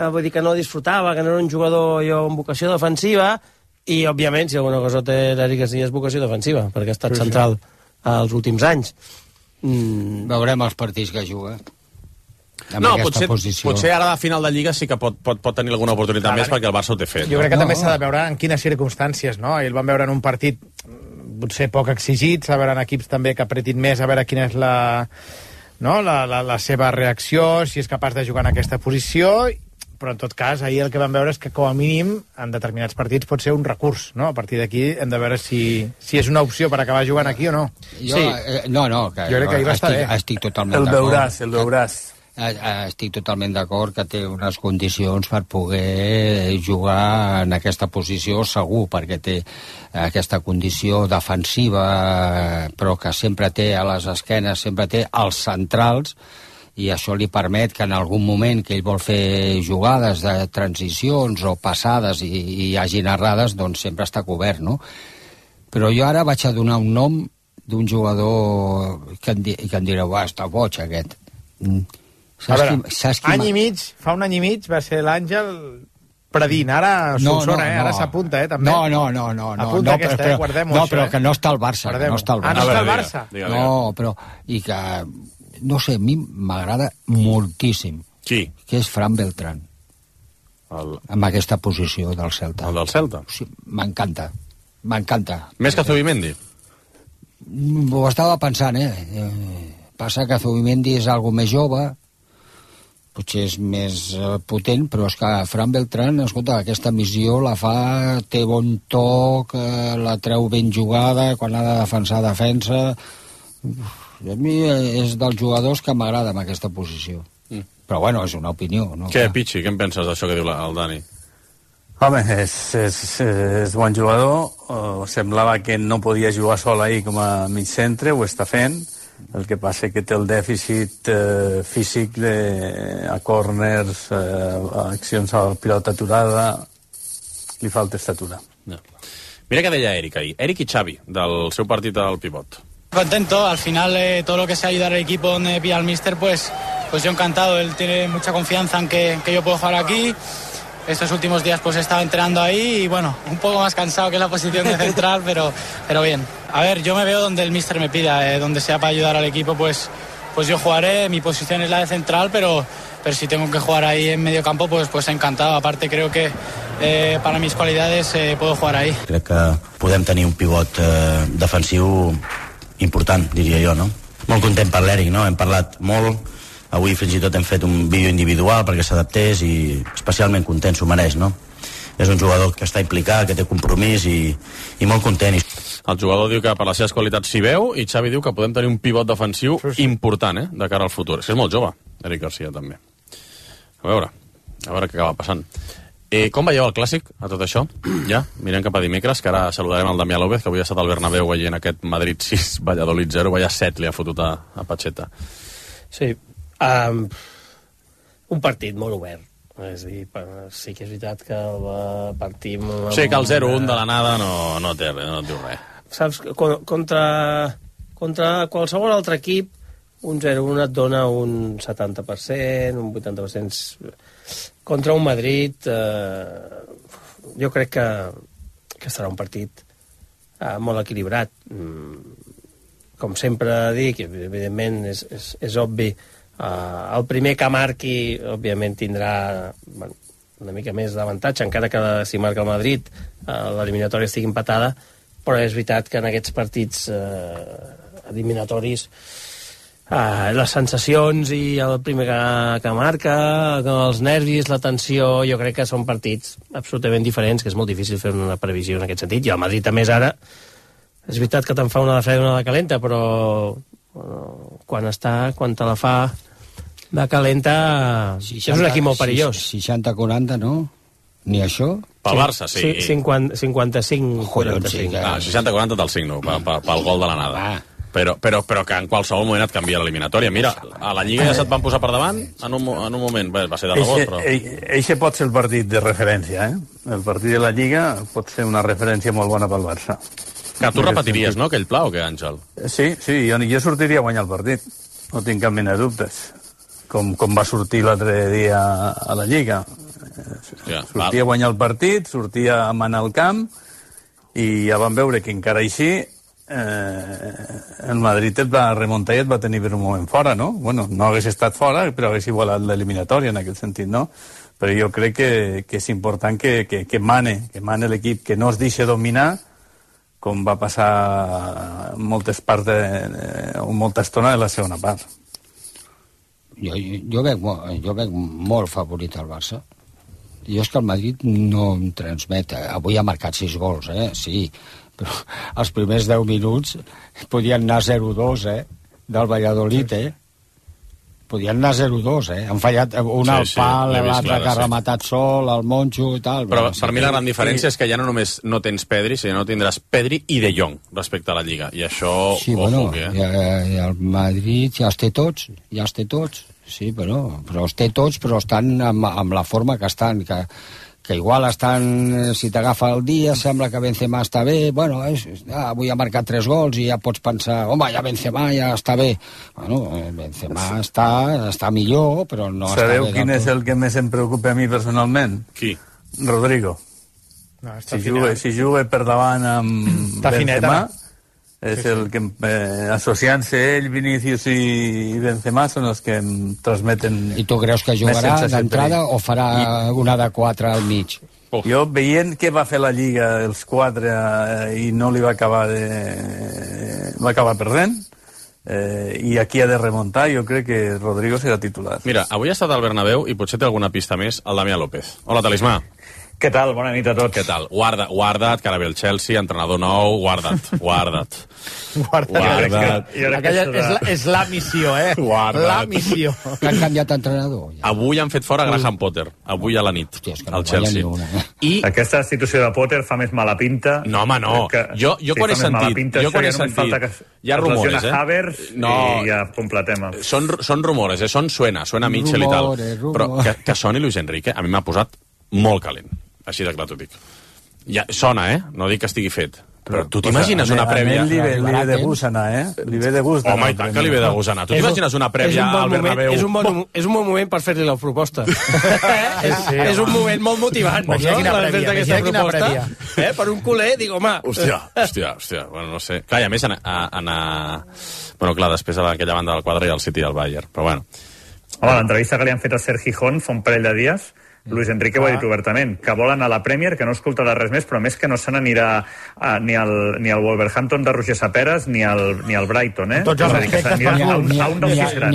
Speaker 6: Vull dir que no disfrutava, que no era un jugador amb vocació defensiva, i, òbviament, si alguna cosa té l'Eric Casillas és vocació defensiva, perquè ha estat central els últims anys.
Speaker 5: Veurem els partits que juga.
Speaker 2: No, potser ara a la final de Lliga sí que pot tenir alguna oportunitat més, perquè el Barça ho té fet.
Speaker 22: Jo crec que també s'ha de veure en quines circumstàncies, no? El van veure en un partit potser poc exigits, a veure en equips també que apretin més, a veure quina és la seva reacció, si és capaç de jugar en aquesta posició, però en tot cas, ahir el que vam veure és que com a mínim en determinats partits pot ser un recurs, no? A partir d'aquí hem de veure si és una opció per acabar jugant aquí o no.
Speaker 5: Jo crec
Speaker 22: que ahir va estar bé.
Speaker 5: Estic totalment d'acord.
Speaker 3: El veuràs.
Speaker 5: Estic totalment d'acord que té unes condicions per poder jugar en aquesta posició segur, perquè té aquesta condició defensiva, però que sempre té a les esquenes, sempre té als centrals, i això li permet que en algun moment que ell vol fer jugades de transicions o passades i hi hagi errades, doncs sempre està cobert, no? Però jo ara vaig a donar un nom d'un jugador que em direu, està boig aquest.
Speaker 22: A veure, fa un any i mig va ser l'Àngel predint, ara Solsona, ara s'apunta, també.
Speaker 5: No,
Speaker 22: apunta aquesta, guardem-ho.
Speaker 5: No, però que no està al Barça. No està al
Speaker 22: Barça.
Speaker 5: No, però... I que... No sé, a mi m'agrada moltíssim.
Speaker 2: Qui?
Speaker 5: Que és Fran Beltrán. Amb aquesta posició del Celta.
Speaker 2: El del Celta?
Speaker 5: Sí, m'encanta.
Speaker 2: Més que Zubimendi?
Speaker 5: Ho estava pensant, Passa que Zubimendi és algo més jove, potser és més potent, però és que Fran Beltrán, escolta, aquesta missió la fa, té bon toc, la treu ben jugada, quan ha de defensa. A mi és dels jugadors que m'agrada en aquesta posició. Però bueno, és una opinió, no?
Speaker 2: Què, Pichi, què en penses d'això que diu el Dani?
Speaker 3: Home, és bon jugador. Semblava que no podia jugar sol ahir com a mig centre, ho està fent. El que passa que té el dèficit físic a córners, accions a pilota aturada, li falta estatura.
Speaker 2: Mira què deia Eric ahir. Eric i Xavi, del seu partit al pivot.
Speaker 9: Contento, al final todo lo que sea ayudar al equipo donde pilla el míster, pues yo encantado. Él tiene mucha confianza en que yo puedo jugar aquí. Estos últimos días pues he estado entrenando ahí y bueno, un poco más cansado que la posición de central, pero bien. A ver, yo me veo donde el míster me pida, donde sea para ayudar al equipo, pues yo jugaré. Mi posición es la de central, pero si tengo que jugar ahí en medio campo, pues encantado. Aparte creo que para mis cualidades puedo jugar ahí.
Speaker 12: Crec que podem tenir un pivot defensiu important, diria jo, no? Molt content per l'Eric, no? Hem parlat molt, avui fins i tot hem fet un vídeo individual perquè s'adaptés i especialment content, s'ho mereix, no? És un jugador que està implicat, que té compromís i molt content.
Speaker 2: El jugador diu que per les seves qualitats s'hi veu i Xavi diu que podem tenir un pivot defensiu important, de cara al futur. És que és molt jove, Eric Garcia, també. A veure què acaba passant. Com veieu el clàssic, a tot això? Ja, mirem cap a dimecres, que ara saludarem el Damià López, que avui ha estat al Bernabéu veient aquest Madrid 6, Valladolid 0, vaya 7 li ha fotut a Pacheta.
Speaker 6: Sí, un partit molt obert. És a dir, sí que és veritat que partim...
Speaker 2: Sí, que el 0-1 de la nada no té res, no et diu res.
Speaker 6: Saps, contra qualsevol altre equip, un 0-1 et dona un 70%, un 80%... Contra un Madrid, jo crec que serà un partit molt equilibrat. Com sempre dic, evidentment és obvi, el primer que marqui, òbviament, tindrà una mica més d'avantatge, encara que si marca el Madrid l'eliminatòria estigui empatada, però és veritat que en aquests partits eliminatoris les sensacions i el primer que marca, els nervis, la tensió, jo crec que són partits absolutament diferents, que és molt difícil fer una previsió en aquest sentit. I el Madrid, a més, ara, és veritat que te'n fa una de freda i una de calenta, però quan te la fa de calenta, és un equip molt perillós.
Speaker 5: 60-40, no? Ni això?
Speaker 2: Pel Barça, sí.
Speaker 6: 55-45.
Speaker 2: 60-40 del signo, pel gol de l'anada. Però que en qualsevol moment et canvia l'eliminatòria. Mira, a la Lliga ja se't van posar per davant en un moment. Bé, va ser de rebot, però...
Speaker 3: Eixe pot ser el partit de referència, El partit de la Lliga pot ser una referència molt bona pel Barça.
Speaker 2: Que tu repetiries, no, aquell pla, o què, Àngel?
Speaker 3: Sí, jo sortiria a guanyar el partit. No tinc cap mena de dubtes. Com va sortir l'altre dia a la Lliga. Sortia a guanyar el partit, sortia a manar el camp, i ja vam veure que encara així el Madrid et va remuntar i et va tenir per un moment fora, no? Bueno, no hagués estat fora, però hagués igualat l'eliminatòria en aquest sentit, no? Però jo crec que és important que mane l'equip, que no es deixi dominar com va passar molta estona de la segona part.
Speaker 5: Jo veig molt favorit al Barça. Jo és que el Madrid no em transmet. Avui ha marcat 6 gols, sí, però els primers 10 minuts podien anar 0-2, del Valladolid, podien anar 0-2, Han fallat un al pal, l'altre que ha rematat sol, el Moncho i tal.
Speaker 2: Però per mi la gran diferència és que ja no només no tens Pedri, sinó no tindràs Pedri i De Jong respecte a la Lliga. I això...
Speaker 5: Sí, bueno, i el Madrid ja els té tots, sí, però els té tots, però estan amb la forma que estan, que igual estan, si t'agafa el dia, sembla que Benzema està bé, bueno, avui ha marcat 3 gols i ja pots pensar, home, ja Benzema ja està bé. Bueno, Benzema està millor, però no està bé.
Speaker 3: Sabeu quin és el que més em preocupa a mi personalment?
Speaker 2: Qui?
Speaker 3: Rodrigo.
Speaker 22: No,
Speaker 3: si juga per davant amb Benzema, és el que, associant-se ell, Vinícius i Benzema, són els que em transmeten...
Speaker 5: I tu creus que jugarà d'entrada o farà una de 4 al mig?
Speaker 3: Jo, veient què va fer la Lliga els 4 i no li va acabar va acabar perdent, i aquí ha de remuntar, jo crec que Rodrigo serà titular.
Speaker 2: Mira, avui ha estat al Bernabéu i potser té alguna pista més el Damià López. Hola, Talismà.
Speaker 7: Què tal? Bona nit a tots.
Speaker 2: Què tal? Guarda't, que ara ve el Chelsea, entrenador nou, guarda't.
Speaker 22: Aquella és la missió,
Speaker 2: Guarda't.
Speaker 22: La missió.
Speaker 5: Que han canviat d'entrenador.
Speaker 2: Avui han fet fora Graham Potter, avui a la nit, al Chelsea.
Speaker 7: I aquesta destitució de Potter fa més mala pinta.
Speaker 2: No, home, no. Jo quan he sentit... Hi ha rumores,
Speaker 7: i ja completem.
Speaker 2: Són rumores, suena Mitchell i tal. Però que soni Luis Enrique, a mi m'ha posat molt calent. Així de clar t'ho dic. Ja, sona, no dic que estigui fet. Però tu t'imagines una prèvia...
Speaker 3: Li ve de gust anar, Li ve de gust anar.
Speaker 2: Home, i tant que li ve de gust anar. Tu t'imagines una prèvia al Bernabéu?
Speaker 6: És un bon moment per fer-li la proposta. És un moment molt motivant, no? Imagina quina prèvia. Per un culer, dic, home...
Speaker 2: Hòstia. Bueno, no sé. Clar, i a més anar... Bueno, clar, després a aquella banda del quadre i el City i el Bayern. Però bueno.
Speaker 7: Home, l'entrevista que li han fet a Sergi Hon fa un parell de dies... Luis Enrique ho ha dit obertament, que vol anar a la Premier, que no escoltarà res més, però més que no se n'anirà ni al Wolverhampton de Roger Saperas ni al Brighton,
Speaker 5: Tots els respectes,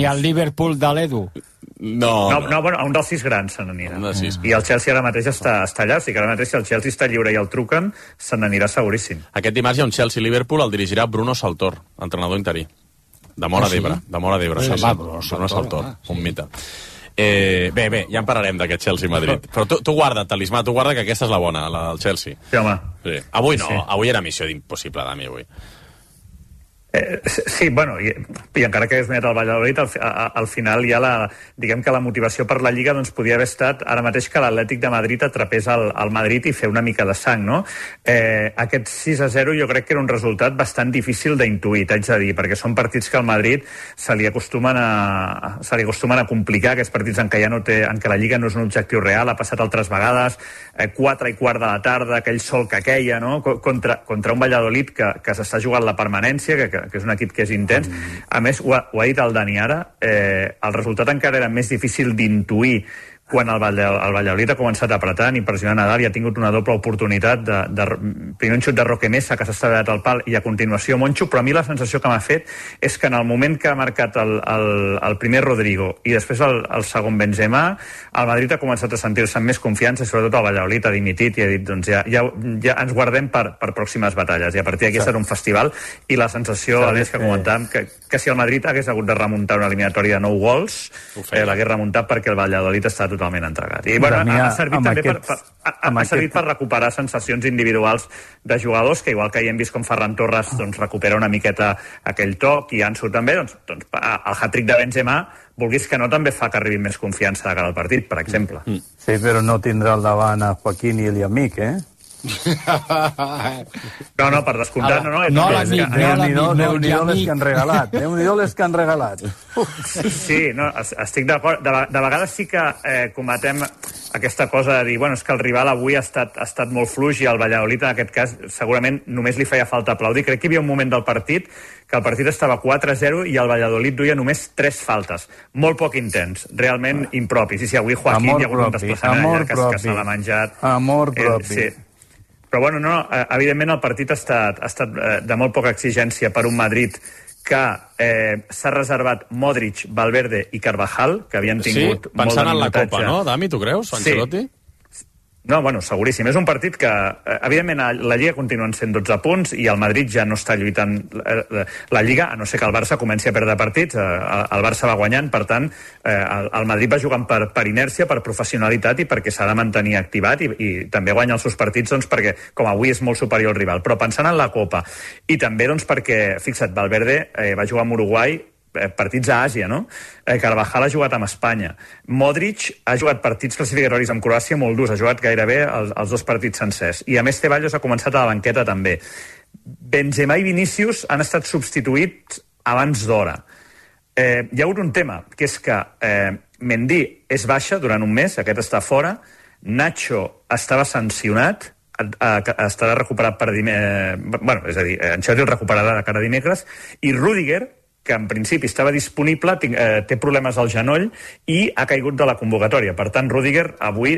Speaker 5: ni al Liverpool de l'Edu.
Speaker 7: No, bueno, a un dels 6 grans se n'anirà. I el Chelsea ara mateix està allà, o sigui que ara mateix si el Chelsea està lliure i el truquen, se n'anirà seguríssim.
Speaker 2: Aquest dimarts hi ha un Chelsea-Liverpool, el dirigirà Bruno Saltor, entrenador interí. De Móra d'Ebre. Bruno Saltor, un mite. Bé, ja en parlarem d'aquest Chelsea-Madrid. Però tu guarda, Talismà, tu guarda que aquesta és la bona, la del Chelsea.
Speaker 7: Sí, home.
Speaker 2: Sí. Avui no, avui era missió d'impossible, Dami, avui.
Speaker 7: Sí, bueno, i encara que hagués guanyat el Valladolid, al final ja diguem que la motivació per la Lliga doncs podia haver estat ara mateix que l'Atlètic de Madrid atrapés al Madrid i fer una mica de sang, no? Aquest 6-0 jo crec que era un resultat bastant difícil d'intuir, t'haig de dir, perquè són partits que al Madrid se li acostumen a complicar, aquests partits en què la Lliga no és un objectiu real, ha passat altres vegades, 4:15 de la tarda, aquell sol que queia, no? Contra un Valladolid que s'està jugant la permanència, que és un equip que és intens. A més, ho ha dit el Dani ara, el resultat encara era més difícil d'intuir quan el Valladolid ha començat apretant i pressionant Nadal i ha tingut una doble oportunitat primer un xut de Roque Mesa que s'ha estavellat al pal i a continuació Moncho, però a mi la sensació que m'ha fet és que en el moment que ha marcat el primer Rodrigo i després el segon Benzema, el Madrid ha començat a sentir-se amb més confiança i sobretot el Valladolid ha dimitit i ha dit doncs ja ens guardem per pròximes batalles i a partir d'aquí serà un festival i la sensació, a més que comentàvem, que si el Madrid hagués hagut de remuntar una eliminatòria de 9 gols, l'hagués remuntat perquè el Valladolid està totalment entregat. I bueno, ha servit també per recuperar sensacions individuals de jugadors que igual que hi hem vist com Ferran Torres doncs, recupera una miqueta aquell toc i Ansu també, doncs el hat-trick de Benzema vulguis que no també fa que arribi més confiança de cara al partit, per exemple.
Speaker 3: Sí, però no tindrà al davant a Joaquín i l'Amic,
Speaker 7: No, per descomptat, no.
Speaker 3: Déu-n'hi-do les que han regalat. Déu-n'hi-do les que han regalat.
Speaker 7: Sí, no, estic d'acord. De vegades sí que cometem aquesta cosa de dir, bueno, és que el rival avui ha estat molt fluix i el Valladolid, en aquest cas, segurament només li feia falta aplaudir. Crec que hi havia un moment del partit que el partit estava 4-0 i el Valladolid duia només 3 faltes. Molt poc intens, realment impropis. I si avui Joaquín hi ha hagut un desplaçament allà que se l'ha menjat.
Speaker 3: Amor propi.
Speaker 7: Sí. Però bueno, no, evidentment el partit ha estat de molt poca exigència per un Madrid que s'ha reservat Modric, Valverde i Carvajal, que havien tingut molt de minutatge.
Speaker 2: Pensant en la Copa, no, Dami, tu creus, Ancelotti?
Speaker 7: Sí. No, bueno, seguríssim. És un partit que, evidentment, la Lliga continuen sent 12 punts i el Madrid ja no està lluitant la Lliga, a no ser que el Barça comenci a perdre partits. El Barça va guanyant, per tant, el Madrid va jugant per inèrcia, per professionalitat i perquè s'ha de mantenir activat i també guanya els seus partits doncs, perquè, com avui, és molt superior al rival. Però pensant en la Copa i també doncs, perquè, fixa't, Valverde va jugar amb Uruguai partits a Àsia, no? Carvajal ha jugat amb Espanya. Modric ha jugat partits classificatoris amb Croàcia molt durs, ha jugat gairebé els 2 partits sencers. I a més Ceballos ha començat a la banqueta també. Benzema i Vinícius han estat substituïts abans d'hora. Hi ha hagut un tema, que és que Mendy és baixa durant un mes, aquest està fora, Nacho estava sancionat, estarà recuperat per dimecres, bueno, és a dir, Ancelotti el recuperarà de cara a dimecres, i Rüdiger, que en principi estava disponible, té problemes al genoll i ha caigut de la convocatòria. Per tant, Rüdiger avui